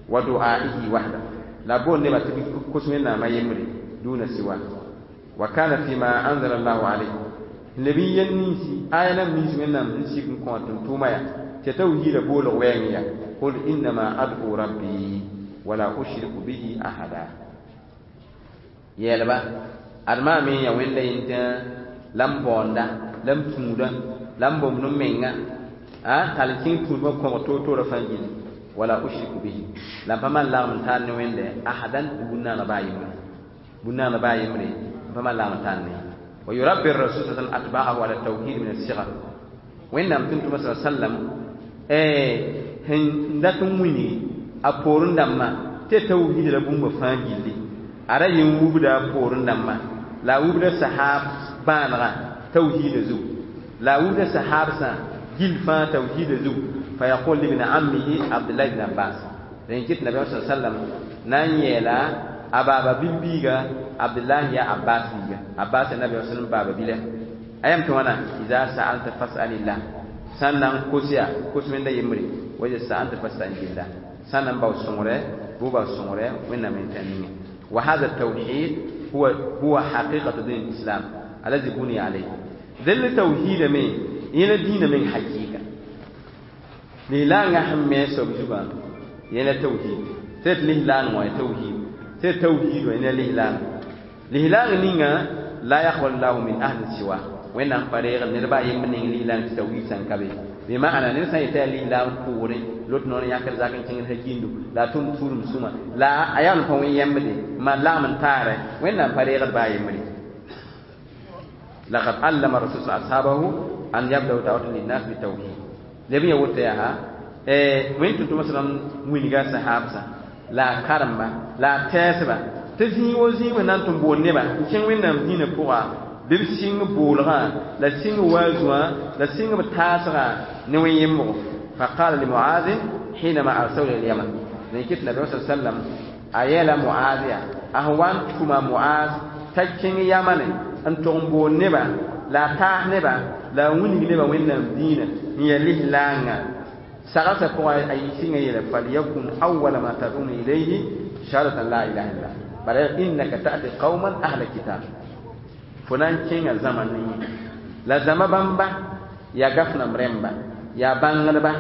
wa du'aihi wahda la boond nebã tɩ b kos Wẽnnaamã yembre duna siwa wa kana fima anzala Allahu alayhi n leb n yel ninsi aya nam nins Wẽnnaam sẽn sik n kõ a tʋm-tʋʋmã yaa tɩ tawhiidã boolg wɛɛng ya qul innama ad'u rabbi wala ushriku bihi ahada yɛɛlba ad maa me ya Wẽnda yẽntã la m baoonda la m tũuda la m bomd m menga a tall n kẽng tũudmã kõg toor-toorã fãa gilli wala ushriku bihi la m pa maan lagem n taar ne Wẽnda ahadan tɩ bũn-naana baa yembre bũn-naana baa yembre m pa maan lagem n taar ne wa yurabbi rasul sa sallam atba'ahu ala tawhid min as-sigar Wẽnnaam tʋm-tʋmã sa sallam sẽn dat n wilgi a poorẽ dãmbã tɩ tawhiid la bũmba fãa gilli a ra yẽ wubda a poorẽ dãmbã la a wubda sahab bãanegã tawhiidã zugu la a wubda sahabsã gill fãa tawhiidã zugu fa yaqul libni ammihi Abdullah ibn Abbas rẽn kɩt nabiyaam sa sallam na n yɛɛla a baaba bi-biiga Abdullahi ya Abbas biiga Abbas ya nabiyaam sallam baaba bila a yam tɩ wãna iza sa'alta fas'alillah sãn na n kos yaa kos Wẽnda yembre wa iza sa'alta fasta'in billah sãn na n bao sõngre bʋ bao sõngre Wẽnnaam yẽntã ninge wa hada tawhid huwa haqiqatu din islam allazi buniya alayhi dẽnd tawhiida me yẽla dĩinã meng hakɩɩka lislaangã sẽn me soab zugã yẽla tawhid tɩ d lislaang wã tawhid tɩ tawhid wã yẽla lislaang lislaang ninga la yaqbalu llahu min ahli siwa Wẽnnaam pa reegd ned baa yemb ning lislaang tɩ tawhid sã n ka be bɩ maana ned sã n yetã yaa lislaang pʋʋrẽ lot noor yãkd zak n kẽngd hakindo la a tʋm tuudem sũma la a yaool n pa wẽ yembde n maan lagem n taarɛ Wẽnnaam pa reegd baa yembre. Laqad allama rasul ashabahu an yabdau da'watan linnas bitawhid leb ya woto yaa wẽn tʋm-tʋmã sallam wilga sahabsã la a karemba la a tɛɛsba tɩ zĩig wo zĩig na n tɩ bool nebã n kẽng Wẽnnaam dĩinã pʋga bɩ b sɩng boolgã la sɩng waazũã la sɩng b taasgã ne wẽn yembgo faqala li Muazin hinama arsalu ila lyaman rẽn kɩt nabiyaam sa sallam a yɛɛla Muaz yaa a sẽn wa n tʋma Muaz t'a kẽng Yamane n tʋg n bool nebã la a taas nebã la a wilg nebã Wẽnnaam dĩinã n yaa lislaangã sagsã pʋgã a sɩngã yeela falyakun awala ma tad'una ilayhi shahadatan la ilaha illallah bara innaka ta'ti qauman ahla kitab fo na n kẽngã zãma ne la zãma bãmba yaa gafnam rẽmba yaa bãngdba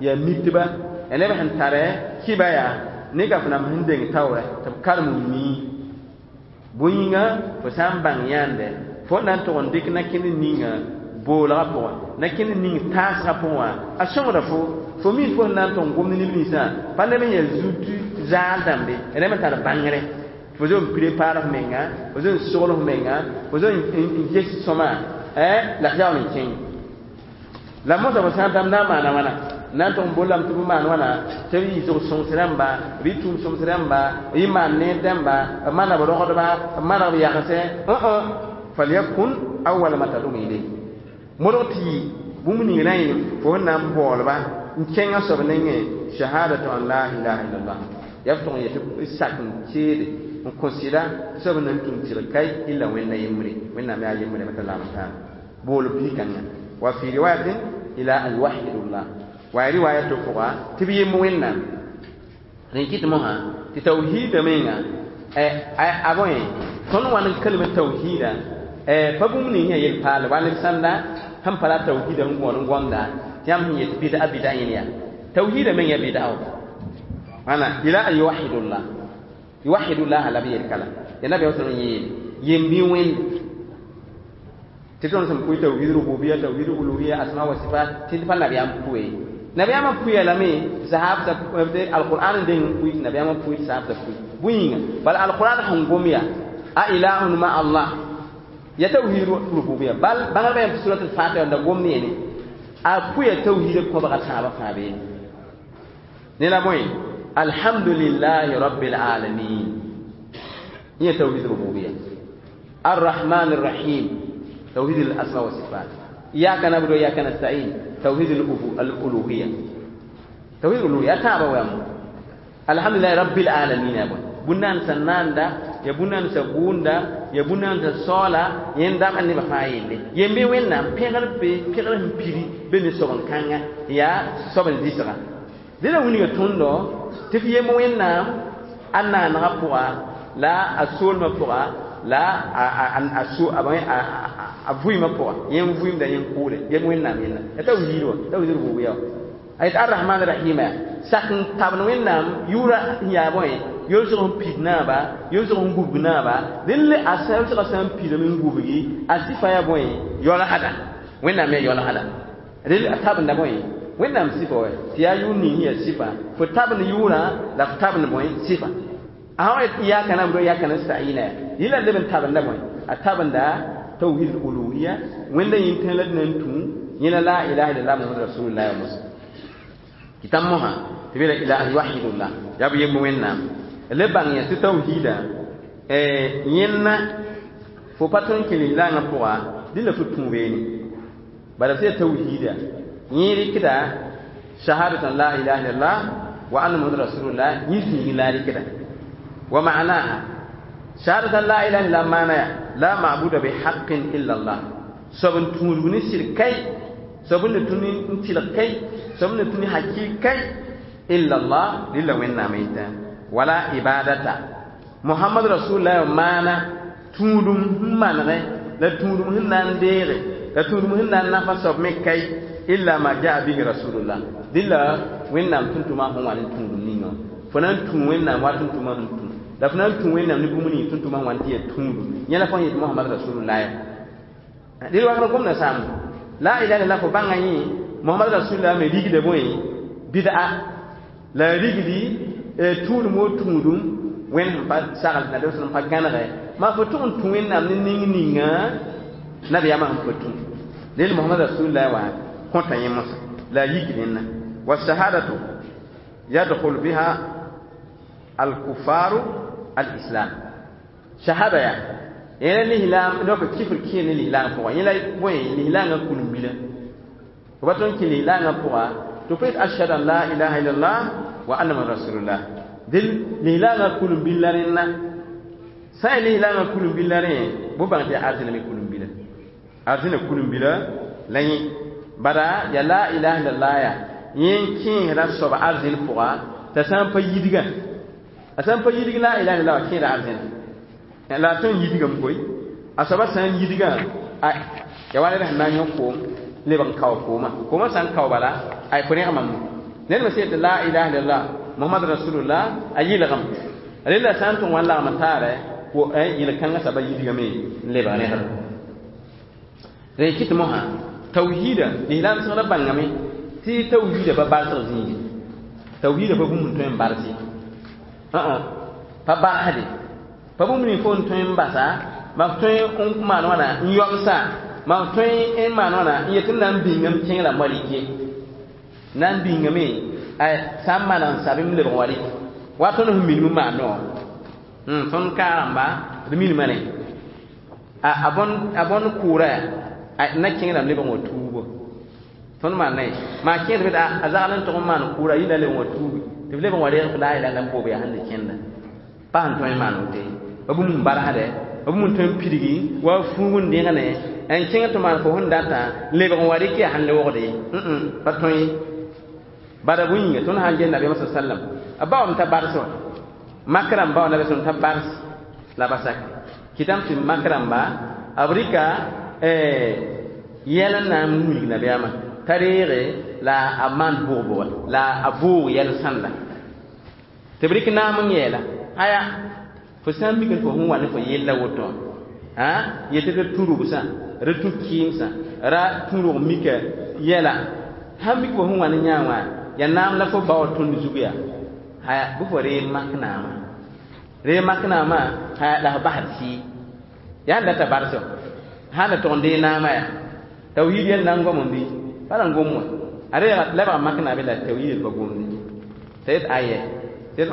yaa mitba yaa neb sẽn tare kiba yaa ne gafnam sẽn deng taoorɛ tɩ b karem n mii bõe-yĩngã fo sã n bãng yãande fo na n tʋg n dɩk na-kẽnd ninga boolgã pʋgẽ na-kẽnd ning taasgã pʋgẽ wã a sõngda fo fo mi fo sẽn na n tʋg n gomd neb ninsã pa neb n yaa zut zaal dãmbe ya neb n tar bãngre fo zo n prepare f menga fo zo n sogl f menga fo zo n ges sõma la f yaool n kẽng la mosã fo sã n tãm na n maana wãna na n tʋg n bollame tɩ b maan wãna tɩ b yɩ zog sõgs rãmba b yɩ tũum sõms rãmba b yɩ maan neer dãmba b maana b rogdba b maneg b yagsẽ falyakun awala ma tadum ilayh modg tɩ yɩ bũmb ning rã yẽ fo sẽn na n baoolba n kẽngã soab nengẽ shahadatu an la ilaha illallah yaa f tʋg n yetɩ sak n keede n kõ sɩda tɩ soab na n tũm tɩg kai illa Wẽnda yembre Wẽnnaam yaa yembre pa tar lagm taab bool bi-kãngã wa fi riwayatin ila an yuwahidullah wa ya riwaya to pʋga tɩ b yemb Wẽnnaam rẽn kɩt mosã tɩ tawhiida menga a bõe tõnd wa n kalem tawhiida pa bũmb ning sẽn yel paal wa neb sãnda sẽn pa la tawhiida sẽn gõod n gomda tɩ yãmb sẽn yet bɩda bɩda yẽn yaa tawhiida meng ya bɩda wãna ila an yuwahidullah yuwahidullah la b yel kala ya nabiyaam sã n yeele yemb-y Wẽnde tɩ tõnd sẽn pʋɩ tawhid rububiya tawhid uluhiya asma wa sifat tɩ pa nabiyaam pʋe nabiyaamã pʋya lame sahabsã alqur'an n deng n pʋɩ tɩ nabiyaamã pʋɩ tɩ sahabsã pʋɩ bõe yĩnga bala alqur'an sẽn gom yaa a ilahun ma Allah ya tawhid rububiya bal bãngdbã yam tɩ surat al-Fatiha da gom ne yene a pʋya tawhid kõbga tãabã fãa beene ne la bõe Alhamdulillahi rabbil alamin. Yẽ tawhid rububiyya. الرحمن الرحيم توحيد الأسماء والصفات. إياك نعبد وإياك نستعين توحيد الألوهية. توحيد الألوهية تابع ويام. الحمد لله رب العالمين يا بون. بنان سناندا يا بنان سبوندا يا بنان سولا يندam anni ba fa yelle yembe wennam pẽgr be pẽgr sẽn piri be ne soben kãnga yaa soben zɩsga dẽla wilga tõndo tɩ f yem wẽnnaam a naanegã pʋga la a soolmã pʋga la a vʋɩmã pʋga yẽ n vʋɩmda yẽ n kʋʋle yem wẽnnaam yẽnna ya tawhiid wa tawhiid rububiya wa a yet arrahman rahima ya sak n tabn wẽnnaam yʋʋra sẽn yaa bõe yolsg sẽn pid naaba yolsg sẽn gubg naaba dẽn le a yolsgã sã n pidame n gubgi a sɩfa yaa bõe yaoolsda wẽnnaam yaa yaoolsda rel a tabenda bõe wẽnnaam sɩfa wa tɩ yaa yʋʋr ning sẽn yaa sɩfa fo tabend yʋʋrã la fo tabend bõe sɩfa a sã yet iyaka na'budu wa iyaka nasta'ina ya yɩla leb n tabenda bõe a tabenda tawhid uluhiya wẽnda yĩn-tẽ la d na n tũ yẽla la ilaha illallah muhammad rasulullah wa mosã kɩtam mosã tɩ be la ilaha yuwahidullah yaa b yemb wẽnnaam le bãng yã tɩ tawhiida yẽnna fo pa tõe n kẽ lislaangã pʋga dẽ la fo tũ beene bala f sẽn tawhiida yẽ rɩkda shahadatan la ilaha illallah wa anna muhammad rasulullah yẽ zĩigẽ la a rɩkda wa ma'naha shahadatan la ilaha illallah maana ya la ma'buda bihaqqin illa allah soab n tũudg ne sɩd kai soab n tũ n tɩlg kai soab n tũ ne hakɩɩk kai illa allah rɩla wẽnnaam yẽta wala ibadata muhammad rasulullah maana tũudum sẽn manegẽ la tũudum sẽn na n deege la tũudum sẽn na n nafa soab me kai illa ma jaa bihi rasulullah dɩla wẽnnaam tʋm-tʋmã sẽn wa ne tũudum ninga fo na n tũ wẽnnaam wa tʋm-tʋmã sẽn tũ la fo na n tũ wẽnnaam ne bũmb ning tʋm-tʋmã sẽn wa n tɩ yaa tũudum yẽ la fo yet muhammad rasulullah dɩl wakr gomda saam la ilaha illallah fo bãnga yẽ muhammad rasulullah me rigda bõe bid'a la rigdi tũudum wo tũudum wẽnd sẽn pa sagl na sẽn pa gãnege maa fo tʋg n tũ wẽnnaam ne ning ninga nabiyaamã sẽn pa tũ rel muhammad rasulullah wa kõta yẽ mosã la a yik rẽnna والشهادة يدخل بها الكفار الإسلام شهادة يا yẽla lislaam donc kifr kẽ ne lislaangã pʋga yẽla bõe lislaangã kulim-bila fo pa tõe n kẽ lislaangã pʋga tɩ fo yet ashhadu an la ilaha illallah wa anna muhammad rasulullah dɩl lislaangã kulim-bil la rẽnna sã n yaa lislaangã kulim-bil la rẽ bõ bãng tɩ yaa arzẽna me kulim-bila arzẽna kulim-bila la yẽ bada ya la ilaha illallah ya yẽ n kẽesda soab arzẽn pʋga t'a sã n pa yidga a sã n pa yidg la ilaha illallah wa kẽeda arzẽna la a tõe n yidgame koe a soaba sã n yidgã ya wa ned sẽn na n yõ koom lebg n kao koomã koomã sã n kao bala ay fo rẽgmame ned me sẽn yet la ilaha illallah muhammad rasulullah a yɩlgem rella sã n tʋg wã n lagm n taare yel-kãngã soaba yidgame n lebg rẽgem rẽ kɩt mosã tawhiida lislaam sõgra bãngame tɩ tawhiida pa barsg zĩige tawhiida pa bũmb n tõe n barse pa barsde pa bũmb ning fo n tõe n basa ma f tõe n maan wãna n yomsa ma f tõe n maan wãna n yet n na n bĩngame kẽng la malike na n bĩngame sã n maneg n sabem lebg wa rɩk wa tõnd sẽn minim n maan no tõnd kaarẽmba d minima ne a bõnd kʋʋra na kẽng lebg n wa tuubo tõnd maan ne maa kẽed b a zagl n tʋg n maan kʋʋra yɩla lebg n wa tuubi tɩ b lebg n wa reeg f la ilaha n boob yaa sẽn de kẽnda pa sẽn tõe n maan woto ye pa bũmb sẽn barsdɛ pa bũmb n tõe n pidgi wa fuug n dẽgne n kẽng tɩ maan fo sẽn data lebg n wa rɩk yaa sẽn lebgde pa tõe ye bada bõe yĩnga tõnd sã n ges nabiyaamã sa sallam a baoom t'a bars wã mak rãmba wã nabi t'a bars la ba sak kɩtame tɩ mak rãmba b rɩka yɛl n na n wilg nabiyaamã t'a reege la a maan bʋg-bʋga la a vʋʋg yɛl sãnda tɩ b rɩk naam n yɛɛla aya fo sã n mik fo sẽn wa ne fo yella woto wã yetɩ d tũ-rʋgsã ra tũ kɩɩmsã ra tũ-rʋg mika yɛla sãn mik fo sẽn wa ne yã wã ya naam la fo ba wa tõnd zug yaa haya bɩ fo ree mak naamã ree mak naamã haya la f basd sɩɩ yaa n data barsɔ sã n da tʋg n dee naamã yaa tawhid yɛl na n gom n bɩ pa na n gom wã a reega lebga mak naame la tawhid pa gomde t'a yet ayɛ Tɩ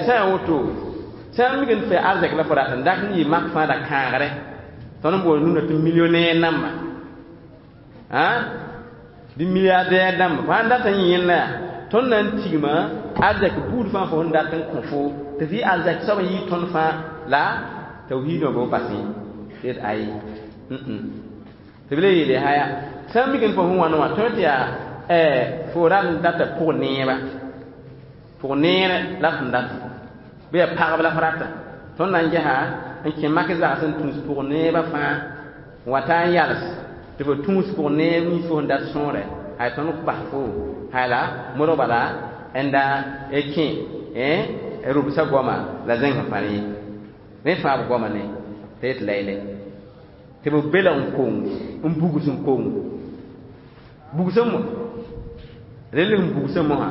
sã n woto sã n mik n tɩ arzɛk la fo rat n dak n yɩ mak fãa da kãagre tõnd n bool nuna tɩ millionnaire namba bɩ milliardaire dãmba fo sãn dat n yẽ yẽnda yaa tõnd na n tigma arzɛk buud fãa fo sẽn dat n kõ fo tɩ f yɩ arzɛk soab n yɩ tõnd fãa la tawhiidã bɩ basẽ tɩ ayi tɩ b le yeele haya sã n mik n fo sẽn wãn wã tõe tɩ yaa fo rat n data pʋg neeba pʋg neere la f sẽn data bɩ yaa pagb la f rata tõnd na n gesa n kẽ mak zags n tũus pʋg neebã fãa n wa taa n yals tɩ fo tũus pʋg neeb nins fo sẽn dat sõore hay tõnd bas fo hay la modg bala n da kẽ rʋbsã goama la zẽng sẽn pa rẽ rẽ fãa b goama ne tɩ yet layle tɩ b belg n kong n bugs n kong bugsã mo rel n bugsã mosã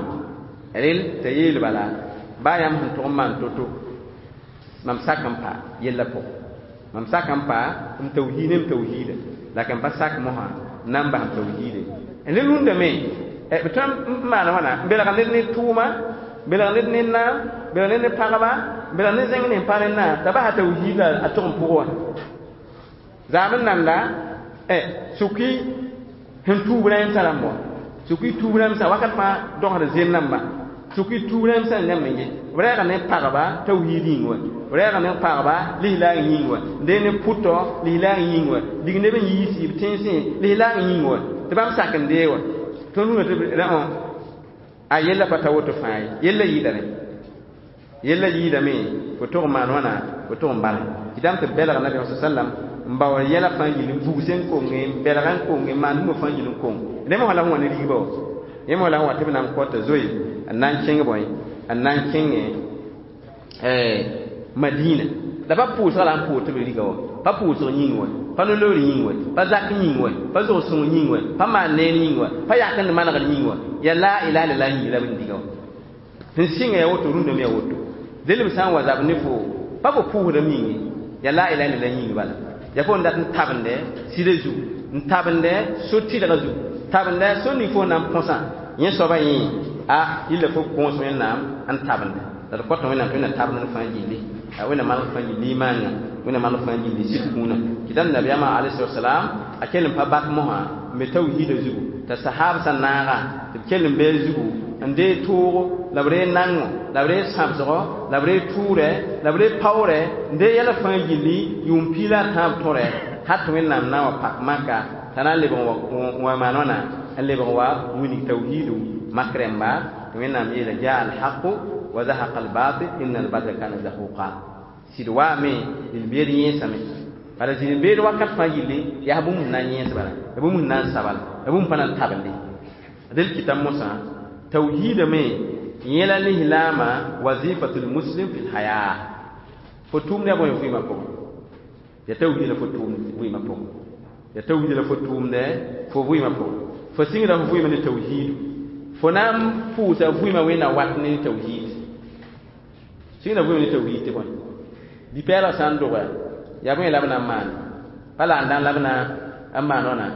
rel t'a yeel bala baa yãmb sẽn tʋg n maan to-to mam sak n pa yellã pʋgẽ mam sak n pa m tawhiid ne m tawhiida la ka n pa sak mosã n na n bas m tawhiide n le rũndame b tõe n maan wãna n belg ned ne tʋʋma belg ned ne naam belg ned ne pagba belg ne zẽng ne n pa rẽnnã t'a basa tawhiid la a tʋg n pʋgẽ wã zaam n nanda sʋk-y sẽn tuub rãensã rãmb wã sʋk-y tuub rãmsã wakat fãa dogsd zem namba sʋk-y tuub rãmsã n yãmb n ge b rɛɛga ne pagba tawhiid yĩng wã b rɛɛga ne pagba lislaag yĩng wã dee ne pʋtɔ lislaag yĩng wã dig neb n yiisi b tẽnsẽ lislaag yĩng wã tɩ bãmb sak n dee wã tõnd rũnã tɩ a yella pa ta woto fãa ye yella yɩɩda rẽ yella yɩɩdame fo tʋg n maan wãna fo tʋg n bale kɩtame tɩ belg nabiyaam sa sallam n bao yɛla fãa yil n bugs n konge n belg n konge n maan bũmb fãa yil n kong rẽ mosã la sẽn wa ne rigba wa yẽ mosã la sẽn wa tɩ b na n kɔta zoe n na n kẽng bõe n na n kẽngẽ Madina la pa pʋʋsga la n pʋʋg tɩ b riga wã pa pʋʋsg yĩng wã pa no-loor yĩng wã pa zak yĩng wã pa zog-sõng yĩng wã pa maan neer yĩng wã pa yak n manegr yĩng wã yaa la ilaha illallah yĩng la b n diga wã sẽn sɩnga yaa woto rũndame yaa woto del b sã n wa zab ne fo pa fo pʋʋsdame yĩng ye yaa la ilaha illallah yĩng bala yaa fo n dat n tabende sɩda zugu n tabende so-tɩlga zugu tabende so ning fo na n põsã yẽ soaba yẽ a yilla fo gõos wẽnnaam n tabende la d kõta wẽnnaam tɩ wẽnnaam tabend n fãa gilli wẽnnaam maneg fãa gilli imaangã wẽnnaam maneg fãa gilli sɩd kũunã kɩtame nabiyaamã alayhi salam a kell n pa bak mosã n be tawhiidã zugu t'a sahaab sã naaga tɩ b kell n bee zugu n dee toogo la b ree nango la b ree sãbsgo la b ree tʋʋrɛ la b ree paoorɛ n dee yɛla fãa gilli yʋʋm piig la a tãab tõrɛ hal tɩ wẽnnaam na n wa pak maka t'a na n lebg n wa maan wãna n lebg wa wilg tawhiidu mak rẽmba tɩ wẽnnaam yeela jaa alhaqu wa zahaqa albatil inna albatila kana zahuqa sɩd waame zĩl-beed yẽesame bala zĩl-beed wakat fãa yilli yaa bũmb sẽn na n yẽes bala ya bũmb sẽn na n sabala ya bũmb pa na n tabende del kɩta mosã tawhiidame yẽla lislaamã wazifatul muslim fi lhaya fo tʋʋmd yaa bõe vɩɩmã pʋgẽ ya tawhiida la fo tʋʋmd vɩɩmã pʋgẽ ya tawhiida la fo tʋʋmdɛ fo vɩɩmã pʋgẽ fo sɩngda fo vɩɩmã ne tawhiidu fo na n pʋʋsa vɩɩmã wẽnna wat ne tawhiid sɩngda vɩɩmã ne tawhiid tɩ bõe bi-pɛɛlg sã n dogɛ yaa bõe la b na n maan pa la n dãn la b na n maan wãna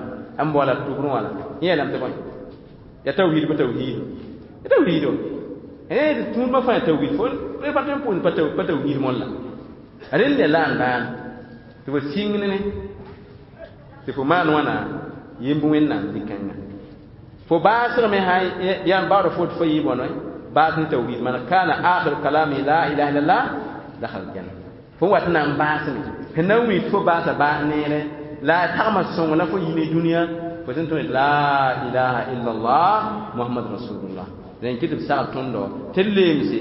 n baoola tʋgrẽ wã la yẽ yeelame tɩ bõe ya tawhiid pa tawhiidu ya tawhiido tũudmã fãa ya tawhiid fo pa tõe n pʋʋsd pa tawhiid molla rẽnd ya la n daan tɩ fo sɩng ne tɩ fo maan wãna yemb wẽnnaam zĩ-kãnga fo baasgme sã yaa n baood fo tɩ fo yɩ bõnoe baas ne tawhiid man kana akhiru kalami la ilaha illallah dakhala aljanna fo wat na n baasme sẽn na n wilg tɩ fo baasa baas neere la a tagma sõng la fo yɩ ne dũniyã fo sẽn tõe la ilaha illallah muhammad rasulullah rẽn kɩ tɩ b sagl tõndo tɩ d leemse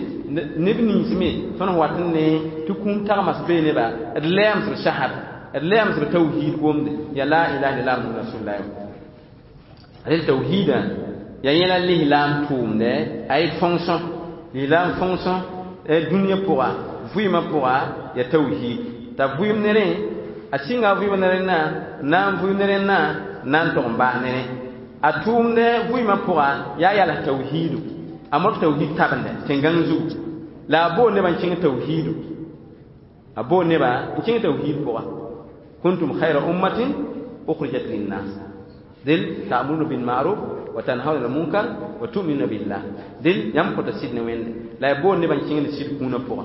neb nins me tõnd sẽn wat n ne tɩ kũum tagmas bee neba d lɛɛms b sahad d lɛɛms b tawhiid gomde ya la ilaha illallah muhammad rasulullah rel tawhiidã ya yẽla lislaam tʋʋmdɛ a y fonction lislaam fonction dũniyã pʋga vɩɩmã pʋga ya tawhiid t'a vɩɩm ne rẽ a sɩnga vɩɩm ne rẽnnã n na n vɩɩm ne rẽnnã n na n tog n baas ne rẽ a tʋʋmdɛ vɩɩmã pʋga yaa yals tawhiidu a modg tawhiid tabende tẽn-gãng zugu la a bool nebã n kẽng tawhiidu a bool nebã n kẽng tawhiid pʋga kuntum khayra ummatin ukhrijat linnas del ta'muruna bil ma'ruf wa tanhauna 'anil munkar wa tu'minuna billah del yãmb kõta sɩd ne wẽnde La ya boond nebã n kẽngd sɩd kũunã pʋgã.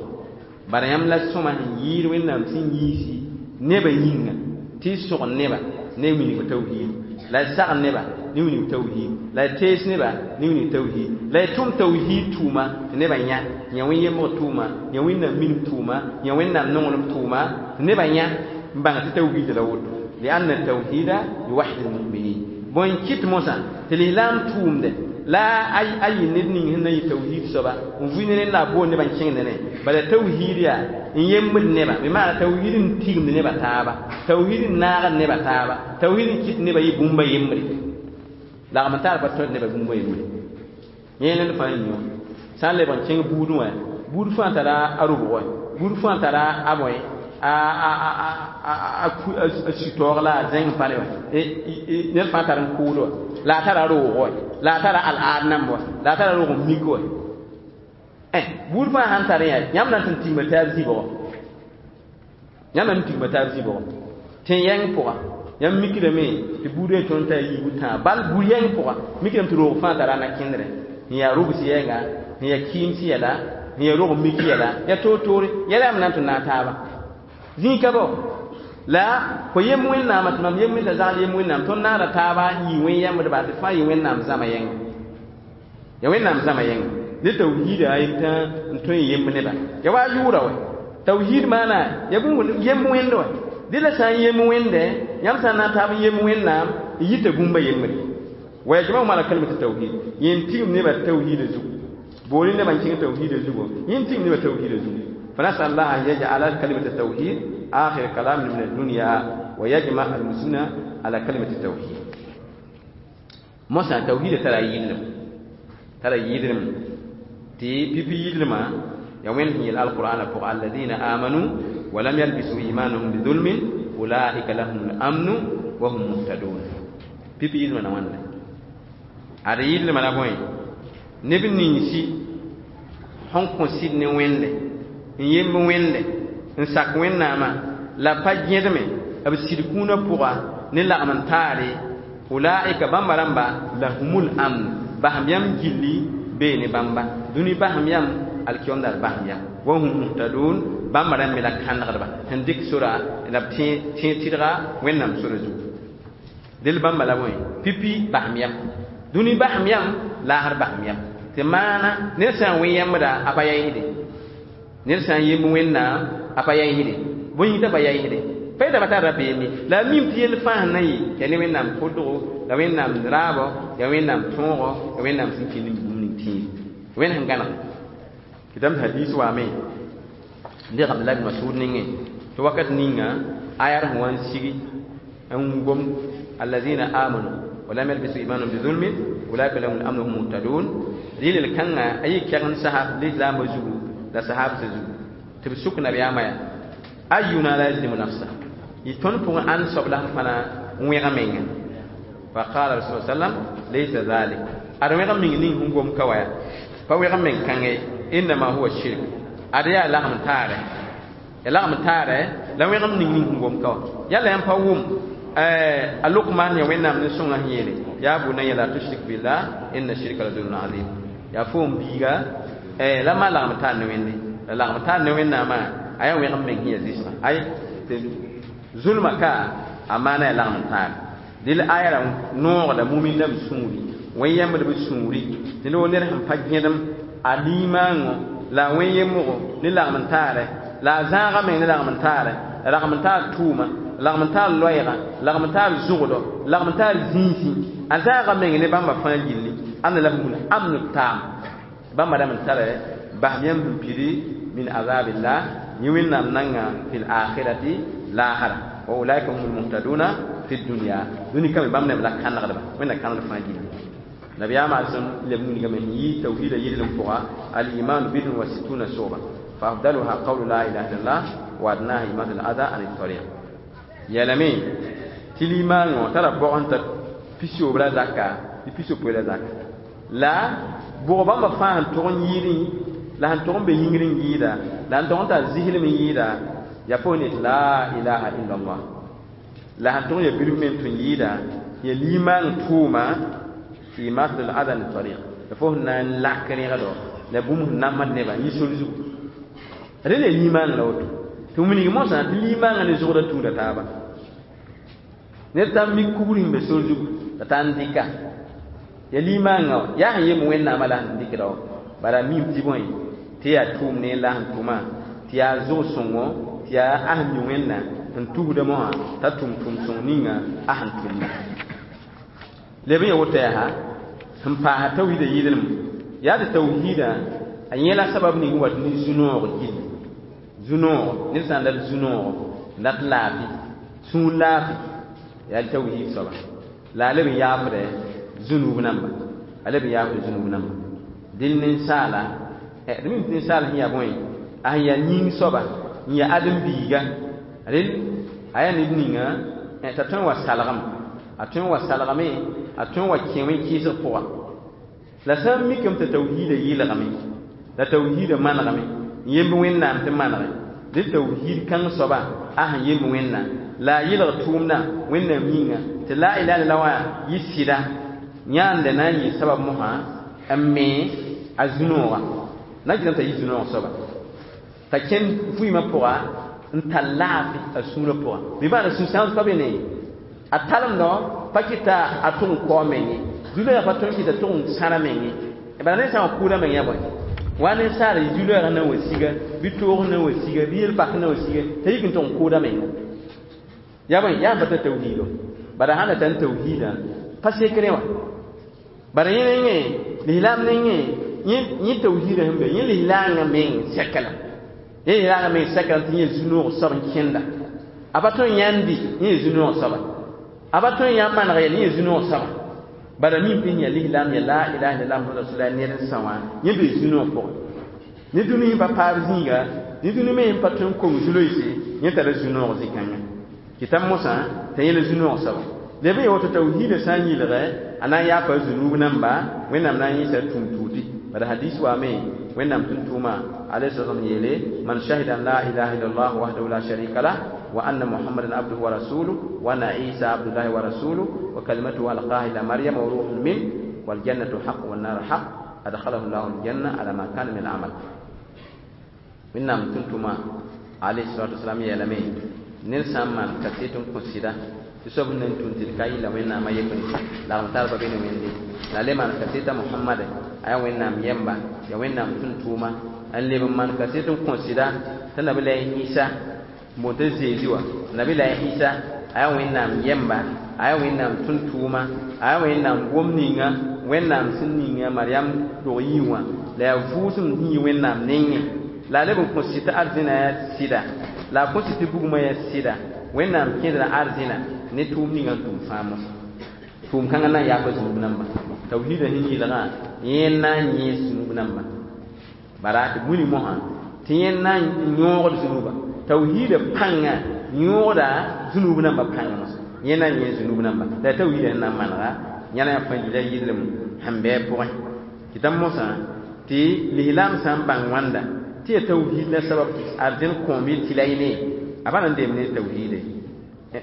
Bara yãmb la sõma sẽn yɩɩd Wẽnnaam sẽn yiisi nebã yĩnga tɩ y sõg neba ne wilg tawhid, la y sagn neba ne wilg tawhid, la y tees neba ne wilg tawhid, la y tʋm tawhid tʋʋma tɩ nebã yã, yã wẽn-yembg tʋʋma, yã Wẽnnaam minim tʋʋma, yã Wẽnnaam nonglem tʋʋma, tɩ nebã yã n bãng tɩ tawhid la woto. Lianna tawhida yuwahid almuminin. Bõe n kɩt mosã tɩ lislaam tʋʋmde la a yɩ ned ning sẽn na yɩ tawhid soaba n vʋɩ ne rẽnd la a boond nebã n kẽng ne bala tawhid yaa n yembd neba, bɩ maana tawhid n tigimd nebã taaba, tawhid n naagd nebã taaba, tawhid n kɩt nebã yɩ bũmba yembre, lagm n tar pa tõd nebã bũmba yembre. Yẽ ned fãa yĩngã sã n lebg n kẽng buudẽ wã, buud fãa tara a rʋbg, buud fãa tara a bõe a sũ-taoog la a zẽng n pa ne wã, ned fãa tar n kʋʋd wã, la a tara roog wã, la a tara al-aad namb wã, la a tara roog n mik wã. Buud fãa sãn tar yaa yãmb na n tɩ n tigma taab zibgɔ, yãmb na n tigma taab zibgɔ tẽ-yɛng pʋga. Yãmb mikdame tɩ buudã tõnd t'a yiibu tãa bal buud yɛng pʋga, mikdame tɩ roog fãa tara na-kẽndrẽ n yaa rʋbs yɛnga, n yaa kɩɩms yɛla, n yaa rog n mik yɛla, yaa toor-toore yɛla yãmb na n tɩ naag taaba zĩig ka bao. La fo yem Wẽnnaamã tɩ mam yem t'a zagl yem Wẽnnaam, tõnd naagda taaba n yɩ wẽn-yɛmbdba tɩ fãa yɩ Wẽnnaam zãma yɛnga, ya Wẽnnaam zãma yɛnga. Ne tawhiida tã n tõe n yemb neba ya wa yʋʋra wɛ tawhiid maana ya bũmb yemb wẽnd wɛ dẽ la sã n yemb wẽnde, yãmb sã n na n taab n yemb Wẽnnaam n yita bũmba yembre. Wa yajma'uhum ala kalimati tawhid, yẽ n tigim nebã tawhiida zugu, booli nebã n kẽng tawhiida zugu, yẽ n tigim nebã tawhiida zugu. فنسأل الله أن يجعل كلمة التوحيد آخر كلام من الدنيا ويجمع المسلمين على كلمة التوحيد. موسى توحيد ترى يدلم، ترى يدلم تي بي بي يدلم يومين هي القرآن فوق الذين آمنوا ولم يلبسوا إيمانهم بظلم أولئك لهم الأمن وهم مهتدون. بي بي يدلم نوان هذا يدلم على بوين نبني نسي هون كونسيد نوين n yemb wẽnde n sak Wẽnnaamã la pa gẽdme b sɩd kũunã pʋga ne lagm n taare ulaika bãmba rãmba lahumul amn basem yãmb gilli bee ne bãmba dũni basem yãmb alkiom dar basem yãmb wa hum muhtadun bãmba rãmb me la kãnegdba sẽn dɩk sora la b tẽ tɩdga Wẽnnaam sora zugu del bãmba la bõe pipi basem yãmb dũni basem yãmb laasr basem yãmb tɩ maana ned sã n wẽ yãmbda a pa yaɩsde ned sã n yemb Wẽnnaam a pa yaɩsde bõe yĩng t'a pa yaɩsde pa yetame t'a rabeem ye la a mim tɩ yell fãa sẽn na yɩ yaa ne Wẽnnaam kʋdgo la Wẽnnaam raabɔ yaa Wẽnnaam tõogo yaa Wẽnnaam sẽn kɩnd bũmb ning tĩir Wẽnd sẽn gãneg tɩ hadis waame n dɩg Abdullah bin Masud nengẽ tɩ wakat ninga ayar sẽn wa n sigi n gom allazina amanu wa lam yalbisu imanahum bizulmin ulaika lahum al-amnu hum muhtadun rɩlel kãnga a yɩ kɛgend sahab lislaambã zugu la sahab se zugu tɩ b sʋk nabiyaamã yaa ayuna la yazlimu nafsa yɩ tõnd pʋgẽ ãnd soab la sẽn fãna n wẽg menga fa qala rasul sallam laysa dhalik ad wẽg meng ning sẽn gom ka wa yaa pa wẽg meng kãngẽ innama huwa shirk ad yaa lagm taare ya lagm taare la wẽg ning ning sẽn gom ka wa yalla yãmb pa wʋm a Luqman ya Wẽnnaam ne sõnga sẽn yeele yaa bunayya la tushrik billah inna shirka la zulmun azim yaa fo n biiga la ma lagm taar ne Wẽnde la lagm taar ne Wẽnnaamã a yaa wẽg meng sẽn yaa zɩsga ay tɩ zulma ka a maana yaa lagm taar dɩl aya ra noogda mumin dãmb sũuri wẽn-yɛmbdb sũuri tɩ ne wo ned sẽn pa gẽdem a liimãangõ la a wẽn-yembgo ne lagm n taare la a zãaga meng ne lagm n taare la lagm n taar tʋʋma lagm n taar loɛɛga lagm n taar zʋgdɔ lagm n taar zĩisẽ a zãaga meng ne bãmba fãa gilli ãnda lahumul amnu taam bãmba rãmb n tara basem yãmb sẽn pidi min azabillah yẽ Wẽnnaam nanga fil akhirati laasra wa ulaika humul muhtaduna fi dunya dũni kame bãmb neb la kãnegdba Wẽnna kãnegd fãa gilli nabiyaamã sẽn leb wilgame sẽn yɩ tawhiida yɩllem pʋga al-imanu bidun wa situna soba fa afdaluha qawlu la ilaha illallah wa adnaha imaatu al-adha an tariq yɛlame tɩ limaangõ tara bog n ta pisoobr la zaka tɩ pisopoe la zaka la bʋg bãmba fãa sẽn tʋg n yɩɩdẽ la sẽn tʋg n be yĩngr n yɩɩda la sẽn tʋg n tar zislem n yɩɩda yaa fo ne la ilaha illallah la sẽn tʋg n ya bilf me n tũ n yɩɩda ya limaang tʋʋma imaatu al-adha an tariq la fo sẽn na n lak rẽgdo La bũmb sẽn namsd nebã yɩ sor zugu rẽ la limaang la woto tɩ wilg mosã tɩ limaangã ne zʋgdã tũuda taaba ned t'a mik kugr sẽn be sor zugu t'a ta n dɩka ya limaangã wã yaa sẽn yemb wẽnnaamã la sẽn dɩkda wã bala a miime tɩ bõe tɩ yaa tʋʋm ne la sẽn tʋma tɩ yaa zʋg-sõngo tɩ yaa a sẽn mi wẽnna n tusda mosã t'a tʋm tʋʋm-sõng ninga a sẽn tʋmda leb n ya woto yaa sẽn paasa tawhiida yɩɩdlem yaa tɩ tawhiida a yẽla sabab ning wat ne zu-noog gill zu-noog ned sã n dat zu-noog n dat laafɩ sũur laafɩ yaa tawhiid soaba la a leb n yaafdɛ zũnub namba a leb n yaafdɛ zũnub namba dẽn ninsaala d mim tɩ ninsaal sẽn yaa bõe a sẽn yaa yĩng soaba n yaa ãdem-biiga rel a yaa ned ninga t'a tõe n wa salgem a tõe n wa salgame a tõe n wa kẽ wẽn-kɩɩsg pʋga la sã n mikame t'a tawhiida yɩlgame la tawhiida manegame n yemb wẽnnaam tɩ manege dẽ tawhiid kãng soaba a sẽn yemb wẽnnaam la a yɩlg tʋʋmdã wẽnnaam yĩnga tɩ la ilaha illallah wã yɩ sɩda yãanda na n yɩ sabab mosã n me a zu-noogã na n kɩtame t'a yɩ zu-noog soaba t'a kẽnd vɩɩmã pʋga n tar laafɩ a sũurã pʋga bɩ maana sũ-sãoos pa be ne a talemdã pa kɩta a tʋg n kao meng ye zu-loɛɛg pa tõe n kɩta tʋg n sãra meng ye bala ned sã n wa kʋʋda meng yaa bõe wa ninsaal zu-loɛɛg na n wa siga bɩ toog na n wa siga bɩ yel-pak na n wa siga t'a yik n tʋg n kʋʋda menga yaa bõe yaa n pa tar tawhiido bala sãn da tar tawhiidã pa sekre wã bala yẽ nengẽ lislaam nengẽ yẽ tawhiidã sẽn be yẽ lislaangã meng sɛkla yẽ lislaangã meng sɛkla tɩ yẽ zu-noog soab n kẽnda a pa tõe n yãndi yẽ zu-noog soaba a pa tõe n yã maneg yɛl yẽ zu-noog soaba bala mim tɩ yã lislaam ya la ilaha illallah muhammad rasulullah ned n sã wã yẽ bee zu-noog pʋgẽ ne dũni sẽn pa paab zĩiga ne dũni me sẽn pa tõe n kong zu-loeese yẽ tara zu-noog zĩ-kãngã kɩta mosã t'a yẽla zu-noog soaba leb n ya woto tawhiidã sã n yɩlgɛ a na n yaafa zunub namba wẽnnaam na n yẽsa tũum tuuti bala hadis waame wẽnnaam tʋm-tʋʋma alayhi salam yeele man shahida an la ilaha illallah wahdahu la sharika lah wa anna muhammadan abduhu wa rasuluhu wa anna isa abdullahi wa rasuluhu wa kalimatuhu alqaha ila maryam wa ruhun min wal jannatu haq wan nar haq adkhalahu llahu aljanna ala ma kana min amal wẽnnaam tʋm-tʋʋma alayhi salatu wasalam yeelame ned sã n maan kaset n kõ sɩda tɩ soab sẽn na n tũn tɩ d ka yɩla wẽnnaamã yembre lagem tarba be ne wẽnde la le maan kaseta mohamade a yaa wẽnnaam yɛmba ya wẽnnaam tʋm-tʋʋma n leb n maan kaset n kõ sɩda tɩ nabi-la Ɩsa n boond tɩ Zeezi wã nabi-la Ɩsa a yaa wẽnnaam yɛmba a yaa wẽnnaam tʋm-tʋʋma a yaa wẽnnaam gom ninga wẽnnaam sẽn ninga Mariam dog yii wã la yaa vʋʋsem sẽn yi wẽnnaam nengẽ la a leb n kõ sɩd tɩ arzẽna yaa sɩda la a kõ sɩd tɩ bugmã yaa sɩda wẽnnaam kẽdra arzẽna ne tʋʋm ninga n tʋm fãa mosã tʋʋm kãngã na n yaaka zũnub namba tawhiidã sẽn yɩlgã yẽ n na n yẽes zũnub namba bara tɩ wilg mosã tɩ yẽ na n yõogd zũnuba tawhiidã pãnga yõoda zũnub namba pãnga mosã yẽ na n yẽes zũnub namba la tawhiidã sẽn na n manega yãna yaa fãa yila yɩllem sẽn bɩ a pʋgẽ tɩ t'a mosã tɩ lislaam sã n bãng wãnda tɩ yaa tawhiid la sabab tɩ arzẽn kõom yɩ tɩ la y ne a pa na n deem ne tawhiide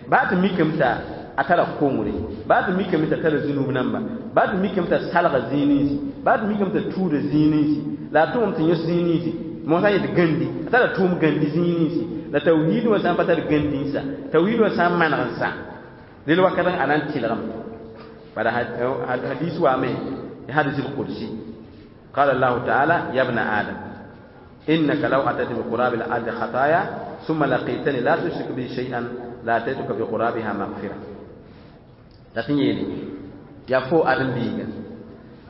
baa tɩ mikame t'a a tara kongre baa tɩ mikame t'a tara zũnub namba baa tɩ mikame t'a salga zĩig ninsi baa tɩ mikame t'a tuuda zĩig ninsi la a tʋgem tɩ yõs zĩig ninsi mosã yet gãndi a tara tʋʋm gãndi zĩig ninsi la tawhiid wã sã n pa tar gãndi n sa tawhiid wã sã n maneg n sa rel wakat a na n tɩlgem bala hadis waame hadis al-qudsi قال الله تعالى يا ابن آدم إنك لو أتيت بقراب الأرض خطايا ثم لقيتني لا تشرك بي شيئا لأتيتك بقرابها مغفرة لكن يلي يا فو آدم بيغا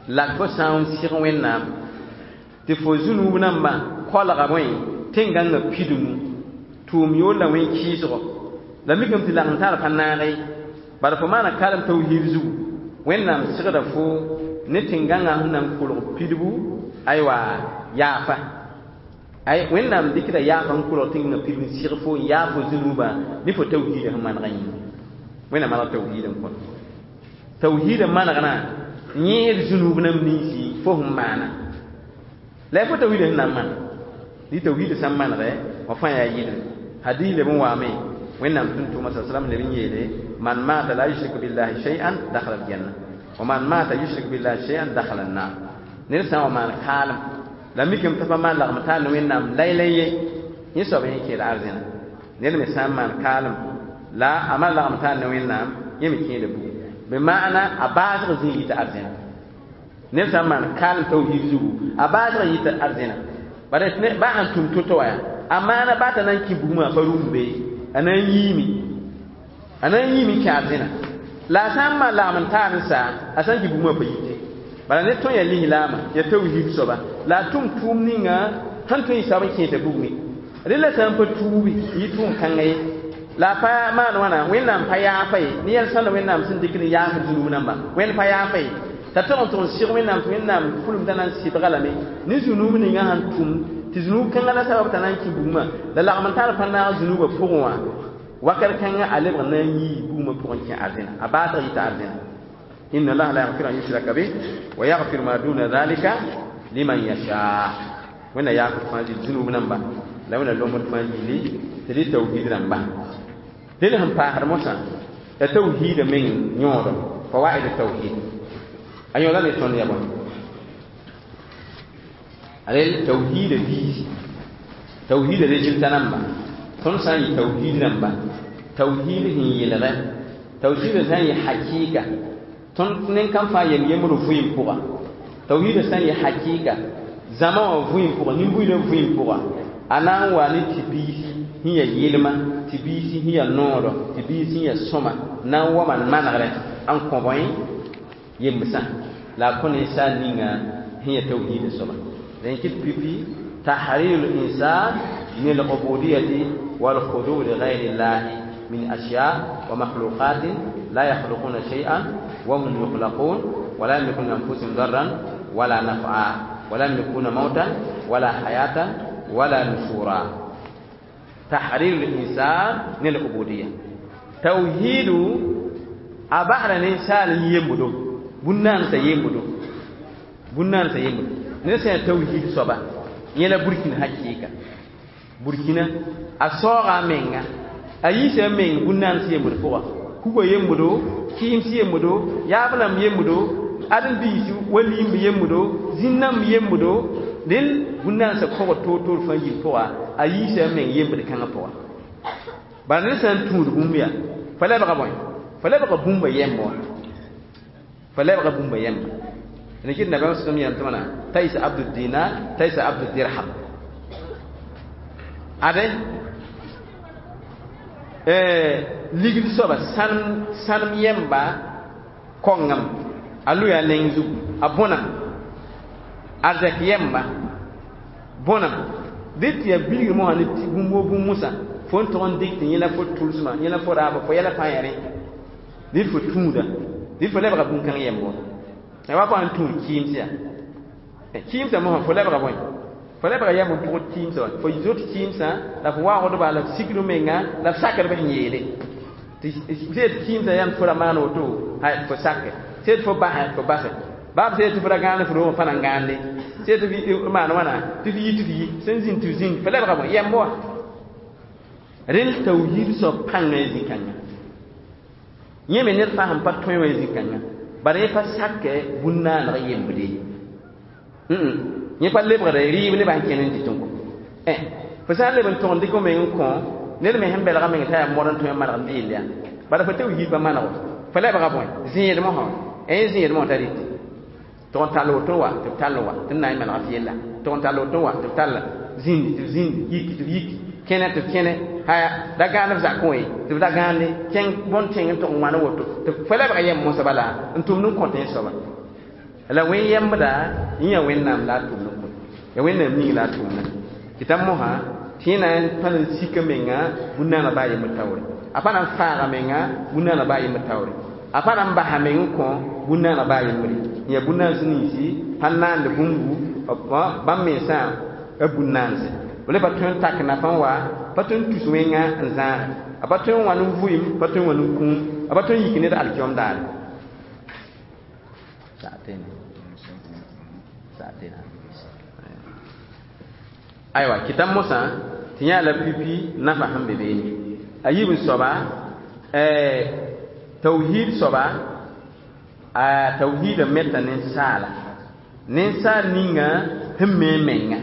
la fo sã n sɩg wẽnnaam tɩ fo zũnub nambã koalga bõe tẽn-gãngã pidmu tʋʋm yoor la wẽn-kɩɩsgɔ la mikame tɩ lagem tar pa naage bala fo maana karem tawhiid zugu wẽnnaam sɩgda fo ne tẽn-gãngã sẽn na n kolg pidbu aywa yaafa ay wẽnnaam dɩkda yaafa n kolg tẽn-gãngã pidbu n sɩg fo n yaa fo zũnubã ne fo tawhiidã sẽn manegã yĩnga wẽnnaam maneg tawhiidã n kõt tawhiidã manegna yẽed zũnub nam ninsi fo sẽn maana la fo tawhiidã sẽn na n maneg dɩ tawhiidã sã n manegɛ wã fãa yaa yɩlem hadis leb n waame wẽnnaam tʋm-tʋʋma sa salam leb n yeele man mata la yushrik billahi shay'an dakhala aljanna wa man mata yushrik billahi shay'an dakhala an-nar ned sã n wa maan kaalem La mikame t'a pa maan lagm taar ne Wẽnnaam lay-lay ye, yẽ soab yẽ kẽed arzẽna. Ned me sã n maan kaalem la a maan lagm taar ne Wẽnnaam, yẽ me kẽeda bugum. Bɩ maana a baasg zĩig yita arzẽna. Ned sã n maan kaalem tawhiid zugu, a baasg yita arzẽna. Bala ba sãn tũm to-to wã yaa, a maana baa t'a na n kẽ bugmã pa rũm be, a na n yiime. A na n yiime n kẽ arzẽna. La a sã n maan lagm n taar n sa, a sã n kẽ bugmã pa yite. Bala ned tõe n yaa lislaamã, yaa tawhiid soaba, la a tʋm tʋʋm ninga sẽn tõe n yɩ soab n kẽesa bugmẽ. Rẽ la sã n pa tuubi, n yɩ tʋʋm-kãngã ye, la a pa maan wãna, Wẽnnaam pa yaafa ye, ne yɛl sãnda Wẽnnaam sẽn dɩk n yaafd zũnub namba, Wẽnd pa yaafa ye. T'a tog n tʋg n sɩg Wẽnnaam tɩ Wẽnnaam pʋlem t'a na n sɩbga lame ne zũnub ninga sẽn tʋm, tɩ zũnub kãngã la sabab t'a na n kẽ bugmã, la lagm n tar pa naag zũnubã pʋgẽ wã, wakat kãngã a lebg n na n yii bugmã pʋgẽ n kẽ arzẽna, a baasg yita arzẽna. Inna Allaha la yaghfiru an yushraka bih wa yaghfiru ma duna dhalika liman yasha. Wẽnna yaafd fãa zĩnd zũnub namba, la Wẽnna lombd fãa yili tɩ dɩ tawhiid rãmba. Dẽn sẽn paasd mosã, la tawhiidã meng yõodɔ, fawaid tawhid. A yõoda ne tõnd ya bõe? Rel tawhiidã viisi, tawhiidã résultat namba. Tõnd sã n yɩ tawhiid rãmba, tawhiid sẽn yelgɛ, tawhiidã sã n yɩ hakɩɩka, tõnd nen-kam fãa yem yembr vɩɩm pʋga. Tawhiidã sã n yɩ hakɩɩka, zãma wã vɩɩm pʋga, nin-buiidã vɩɩm pʋga, a na n wa ne tɩ biisi sẽn yaa yɩlma, tɩ biisi sẽn yaa noodɔ, tɩ biisi sẽn yaa sõma, na n wa maan manegrɛ n kõ bõe yembsã, la a kõ ninsaal ninga sẽn yaa tawhiidã soaba. La yẽ kɩt pipi tahrir l'insan min al-ubudiyati wal-khudu li ghayri llahi min ashya wa makhluqatin la yakhluquna shay'an wa hum yukhlaqun wa la yamlikuna anfusahum darran wala naf'a wa la yamlikuna mawtan wala hayatan wala nushura. Tahrir l'insan min al-ubudiyya. Tawhidu a basra ninsaal n yembodo, bũn-naandsã yembodo, bũn-naandsã yembodo. Ned sã n yaa tawhiid soaba, yẽ la burkina hakɩɩka. Burkina, a saooga a menga, a yiisa a meng bũn-naands yembd pʋga, kuga yembodo, kɩɩms yembodo, yaab rãmb yembodo, ãdem-biisi wa limb yembodo, zĩn-nãmb yembodo, rẽnd bũn-naansã kogd toor-toor fãa yil pʋga, a yiisa a meng yembd kãngã pʋga. Bala ned sã n tũud bũmb yaa, fa lebga bõe? Fa lebga bũmba yemb wã. Fa lebga bũmba yemba. Rẽ kɩt nabiyaam sẽm yãmb tɩ wãna, taisa abdu dinar, taisa abdu dirham. Ade, ligd soaba sãnem yemba kongame, a lʋya neng zugu, a bõnam, arzɛk yemba bõnam. Dɩ tɩ yaa bilgr mosã ne bũmb woo bũmb mosã, fo n tog n dɩk tɩ yẽ la fo tʋlsmã, yẽ la fo raaba, fo yɛla fãa yaa rẽ. Dɩ fo tũuda, dɩ fo lebga bũn-kãng yemb wã. La wa pa n tũud kɩɩms yaa. Kɩɩmsã mosã fo lebga bõe? Fo lebga yɛmb n pʋgd kɩɩmsã wã. Fo zot kɩɩmsã, la fo waoogdba, la f sikd menga, la f sakdb sẽn yeele. Tɩ sẽn kɩɩmsã yãmb fo ra maan woto, hay fo sake. Sẽn fo basɛ, fo basɛ. Baa b sẽn tɩ fo ra gãand fo roogã fã na n gãande. Sẽn tɩ f maan wãna, tɩ f yi tɩ f yi. Sẽn zĩnd tɩ f zĩnd, fo lebga bõe? Yɛmb wã. Rẽnd tawhiid soab pãngã zĩ-kãngã. Yẽ me ned fãa sẽn pa tõe wã zĩ-kãngã, bala yẽ pa sakɛ bũn-naaneg yembde. Yẽ pa lebgd rɩɩb nebã sẽn kẽnd n dɩt n kõ. Fo sã n leb n tog n dɩk f meng n kõ, ned me sẽn belga meng t'a yaa mod n tõe n maneg n deel yaa. Bala fo tawhiid pa maneg fo lebga bõe? Zẽed mosã wã. Yẽ zẽed mosã t'a rɩtɩ. Tog n tall woto wa, tɩ b tall wa, tɩ n na n manega f yella. Tog n tall woto wa, tɩ b talla. Zĩndi tɩ b zĩndi, yiki tɩ b yiki, kẽne tɩ b kẽne, haya da gãand f zakẽ wã ye, tɩ b da gãande, kẽng bõn-tẽng n tog n wãna woto, tɩ fo lebga yɛm mosã bala n tʋmd n kõt yẽ soaba. La wẽn yembda, yẽ yaa Wẽnnaam la a tʋmd n kõt. Yaa Wẽnnaam ning la a tʋmda. Tɩ t'a mosã, tɩ yẽ na n pa n sika menga bũn-naanã baa yembr taoore. A pa na n faaga menga bũn-naanã baa yembr taoore. A pa na n basa meng n kõ bũn-naanã baa yembre. Yaa bũn-naans ninsi pa naand bũmbu, bãmb mensã a bũn-naanse. B le pa tõe n tak nafã wa, pa tõe n tus wẽnga n zãage. A pa tõe n wãn n vʋɩm, pa tõe n wãn n kũum, a pa tõe n yik ned alkiom daare. Aywa, kɩta mosã tɩ yã la pipi nafa sẽn be beene. A yiib n soaba, tawhiid soaba, a tawhiidã meta ninsaala. Ninsaal ninga sẽn me menga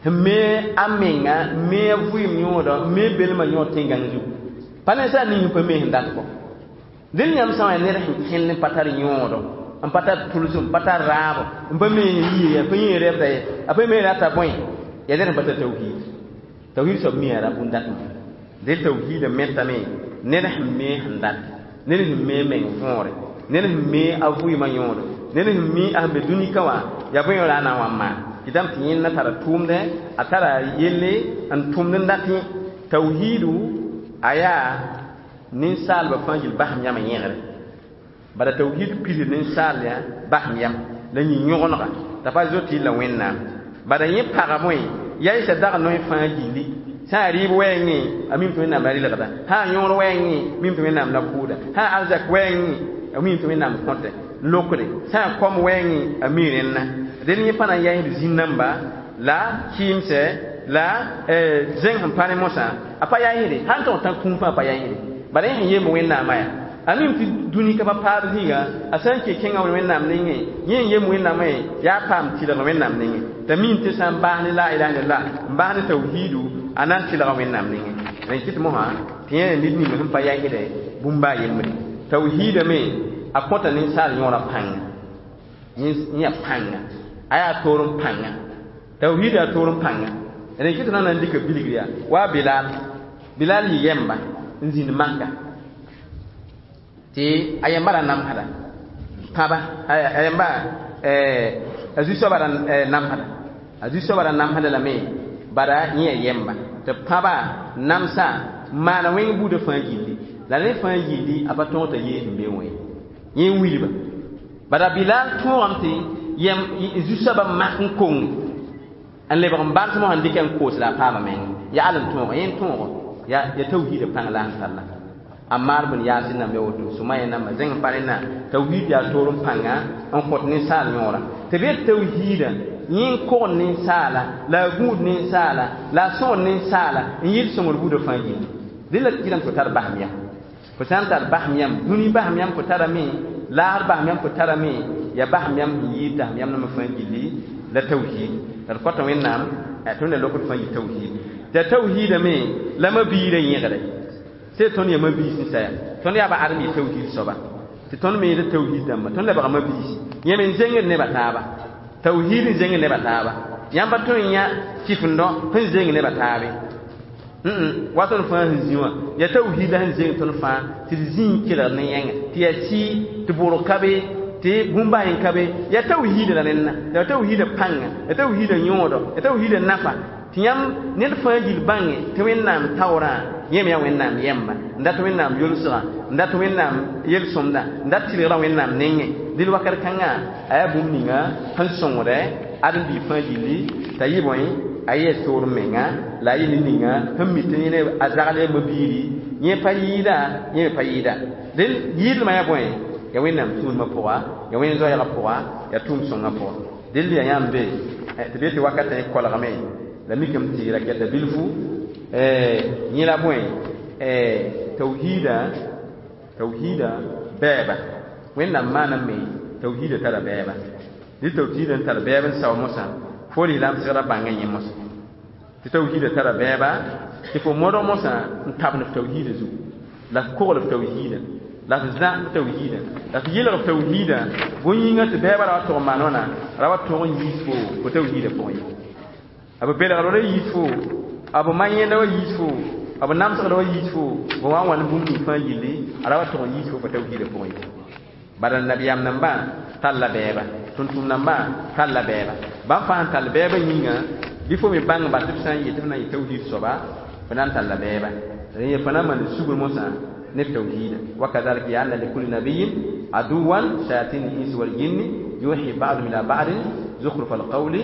sẽn me a menga me a vɩɩm yõoda me belmã yõod tẽn-gãng zugu pa ninsaal ning sẽn pa me sẽn dat kɔ dẽn yãmb sã n yaa ned sẽn kẽnd n pa tar yõodo n pa tar tʋlsem n pa tar raabo n pa me sẽn yie a pa yẽ rɛbda ye a pa me rata bõe yaa ned sẽn pa tar tawhiid tawhiid soab mi yaa bũn-datmã dẽn tawhiidã metame ned sẽn me sẽn dat ned sẽn me meng võore ned sẽn me a vɩɩmã yõodo ned sẽn mi a sẽn be dũnika wã yaa bõe la a na n wa n maan tɩ dãmb tɩ yẽnda tara tʋʋmdẽ a tara yelle n tʋmd n dat yẽ tawhiidu a yaa ninsaalbã fãa yel basem yãmã yẽgre bala tawhiid pisd ninsaal yã basem yam la yĩ yõgenega t'a pa zoet yella wẽnnaam bala yẽ pagame yaɩsa dag noe fãa gilli sã n rɩɩb wɛɛngẽ a mim tɩ wẽnnaam la rɩlgda sã n yõor wɛɛngẽ mim tɩ wẽnnaam la kʋʋda sã n arzak wɛɛngẽ a mim tɩ wẽnnaam kõte lokde sã n kom wɛɛngẽ a mi rẽnna dẽn yẽ pa na n yaɩsd zĩn-namba la kɩɩmsɛ la zẽng sẽn pa ne mosã a pa yaɩsde sãn tog tã kũum fãa pa yaɩsde bala yẽ sẽn yemb wẽnnaamã yaa a mim tɩ dũni ka pa paab zĩiga a sã n ke kẽngã wẽnnaam nengẽ yẽ n yemb wẽnnaamã yaa paam tɩlg wẽnnaam nengẽ t'a mim tɩ sã n baas ne la ilaha illallah n baas ne tawhiidu a na n tɩlga wẽnnaam nengẽ rẽn kɩt mosã tɩ yẽ ned ning sẽn pa yaɩsdɛ bũmba a yembre tawhiida me a kõta ninsaal yõora pãnga yẽ pãnga a yaa toor n pãnga tawhiid yaa toor n pãnga rẽn kɩt na n dɩka bilgr yaa wa bilaal bilaal yɩ yɛmba n zĩnd maka tɩ a yẽmba ra namsda pãba a yẽmba a zu-soaba ra namsda a zu-soaba ra namsda lame bara yẽ yaa yɛmba tɩ pãba namsã n maana wẽng buudã fãa gilli la rẽ fãa gilli a pa tõog t'a yee sẽn be wã ye yẽ n wilba bala bilaal tõogame tɩ yɛm zu-soabã mak n kong n lebg n bars mosã n dɩka n koos la a paama meng yaal n tõogo yẽ n tõogo yaa tawhiidã pãng la sẽn talla Ammar bin Yasir namba ya woto Sumaya namba zẽng n pa rẽnna tawhiid yaa toor n pãnga n kõt ninsaal yõora tɩ b yet tawhiidã yẽ n kogd ninsaala la a gũud ninsaala la a sõor ninsaala n yɩl sõngr buudã fãa gilli dẽ la kɩrame tɩ fo tar basem yam fo sã n tar basem yam dũni basem yam fo tarame laasr basem yam fo tarame yaa basem yam sẽn yɩɩd dasem yam nambã fãa gilli la tawhiid la d kõta wẽnnaam tõnd la lokd fãa yɩ tawhiid t'a tawhiidame la mabiirã yẽgre sẽn tõnd yaa mabiis n saya tõnd yaa ba adem yɩ tawhiid soaba tɩ tõnd me yẽd tawhiid dãmba tõnd lebga mabiisi yẽ me n zẽngd nebã taaba tawhiid n zẽngd nebã taaba yãmb pa tõe n yã kɩfendõ sẽn zẽng nebã taabe wa tõnd fãa sẽn zĩ wã yaa tawhiid la sẽn zẽng tõnd fãa tɩ d zĩ n kelgd ne yẽnga tɩ yaa sɩ tɩ bʋrg ka be tɩ bũmb a yẽn ka be yaa tawhiida la rẽnna yaa tawhiida pãnga yaa tawhiida yõodo yaa tawhiida nafa tɩ yãmb ned fãa gil bãnge tɩ wẽnnaam taoorã yẽ me yaa wẽnnaam yɛmba n dat wẽnnaam yolsgã n dat wẽnnaam yel-sõmda n dat tɩlgrã wẽnnaam nengẽ dɩl wakat kãngã a yaa bũmb ninga sẽn sõngdɛ ãdem-biig fãa gilli t'a yɩ bõe a yɩ toor menga la a yɩ ned ninga sẽn mi tɩ yẽ a zagl yaa mabiiri yẽ pa yɩɩda yẽ me pa yɩɩda dẽn yɩɩdmã yaa bõe yaa wẽnnaam tũudmã pʋga yaa wẽn zoɛɛgã pʋga yaa tʋʋm-sõngã pʋga dẽnd yaa yãmb be tɩ be tɩ wakatã yẽ kolgame la mikame tɩ rakɛta bilfu yẽ la bõe tawhiida tawhiida bɛɛba wẽnnaam maaname tawhiida tara bɛɛba dɩ tawhiida n tar bɛɛb n sao mosã fo lislaam segra bãngã yẽ mosã tɩ tawhiida tara bɛɛba tɩ fo modg mosã n tabend f tawhiida zugu la f kogl f tawhiida la f zã f tawhiida la f yɩlg f tawhiida bõn-yĩngã tɩ bɛɛbã ra wa tʋg n maan wãna ra wa tʋg n yiis fo fo tawhiida pʋgẽ ye a b belgr ra yiis fo a b ma-yẽnda wa yiis fo a b namsgda wa yiis fo b wa n wãn bũmb ning fãa yilli a ra wa tʋg n yiis fo fo tawhiida pʋgẽ ye bala nabiyaam nambã talla bɛɛba tʋm-tʋm nambã talla bɛɛba bãmb fãa sẽn tall bɛɛbã yĩnga bɩ fo me bãng ba tɩ b sã n yet tɩ b na n yɩ tawhiid soaba fo na n talla bɛɛba rẽ fo na n maan sugr mosã ne f tawhiida wa kadhalika ja'alna likulli nabiyyin aduwan shayatin al-insi wal jinni yuhi ba'dhum ila ba'din zukhruf al-qawli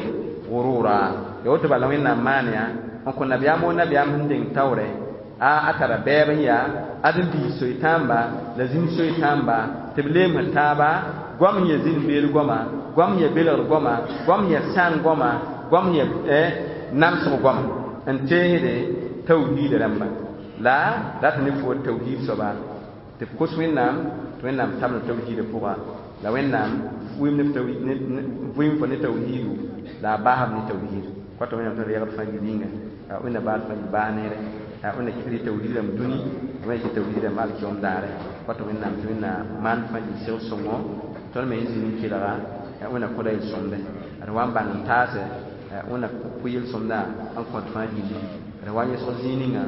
ghurura ya woto bala wẽnnaam maan yaa n kõ nabiyaam o nabiyaam sẽn deng taoorɛ a tara bɛɛb n yaa ãdem-biis soy-tãamba la zĩnd soy-tãamba tɩ b leemsd taaba goam sẽn yaa zĩnd-beel goama goam sẽn yaa belgr goama goam sẽn yaa sãn goama goam sẽn yaa namsg goama n teesde tawhiida rãmba la rat ne fo tawhiid soaba tɩ b kos wẽnnaam tɩ wẽnnaam tabl tawhiidã pʋga La Wẽnnaam vɩɩm fo ne tawhiidu la a baasb ne tawhiid. Kɔta Wẽnnaam tõe reegd fãa gil yĩnga, Wẽnna baad fãa gil baas neere, Wẽnna kɩt rɩ tawhiid rãmb dũni, Wẽnna kɩt tawhiid rãmb alkiyoom daare. Kɔta Wẽnnaam tɩ Wẽnna maan fãa gil segl sõngo tõnd me sẽn zĩnd n kelga, Wẽnna kõda yel-sõmde d wa n bãng n taase, Wẽnna kʋ yel-sõmdã n kõt fãa gilli. D wa n yẽsg zĩig ninga,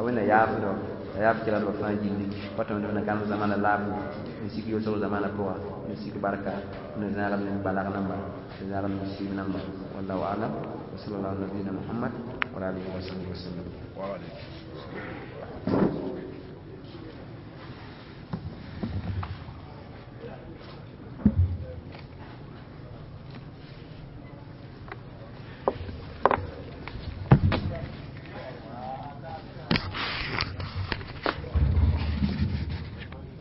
Wẽnna yaafdo la yaaf kelgdbã fãa gilli. Kɔta Wẽnna gãmb zamana laafɩ n sik yʋlsg zamana pʋga, n sik barka, n zãagd ne balag namba, n zãagd ne sɩɩb namba. Wallahu alam wa sallallahu nabiyina Muhammad wa alihi wa sahbihi wa sallam.
Wa alaikum.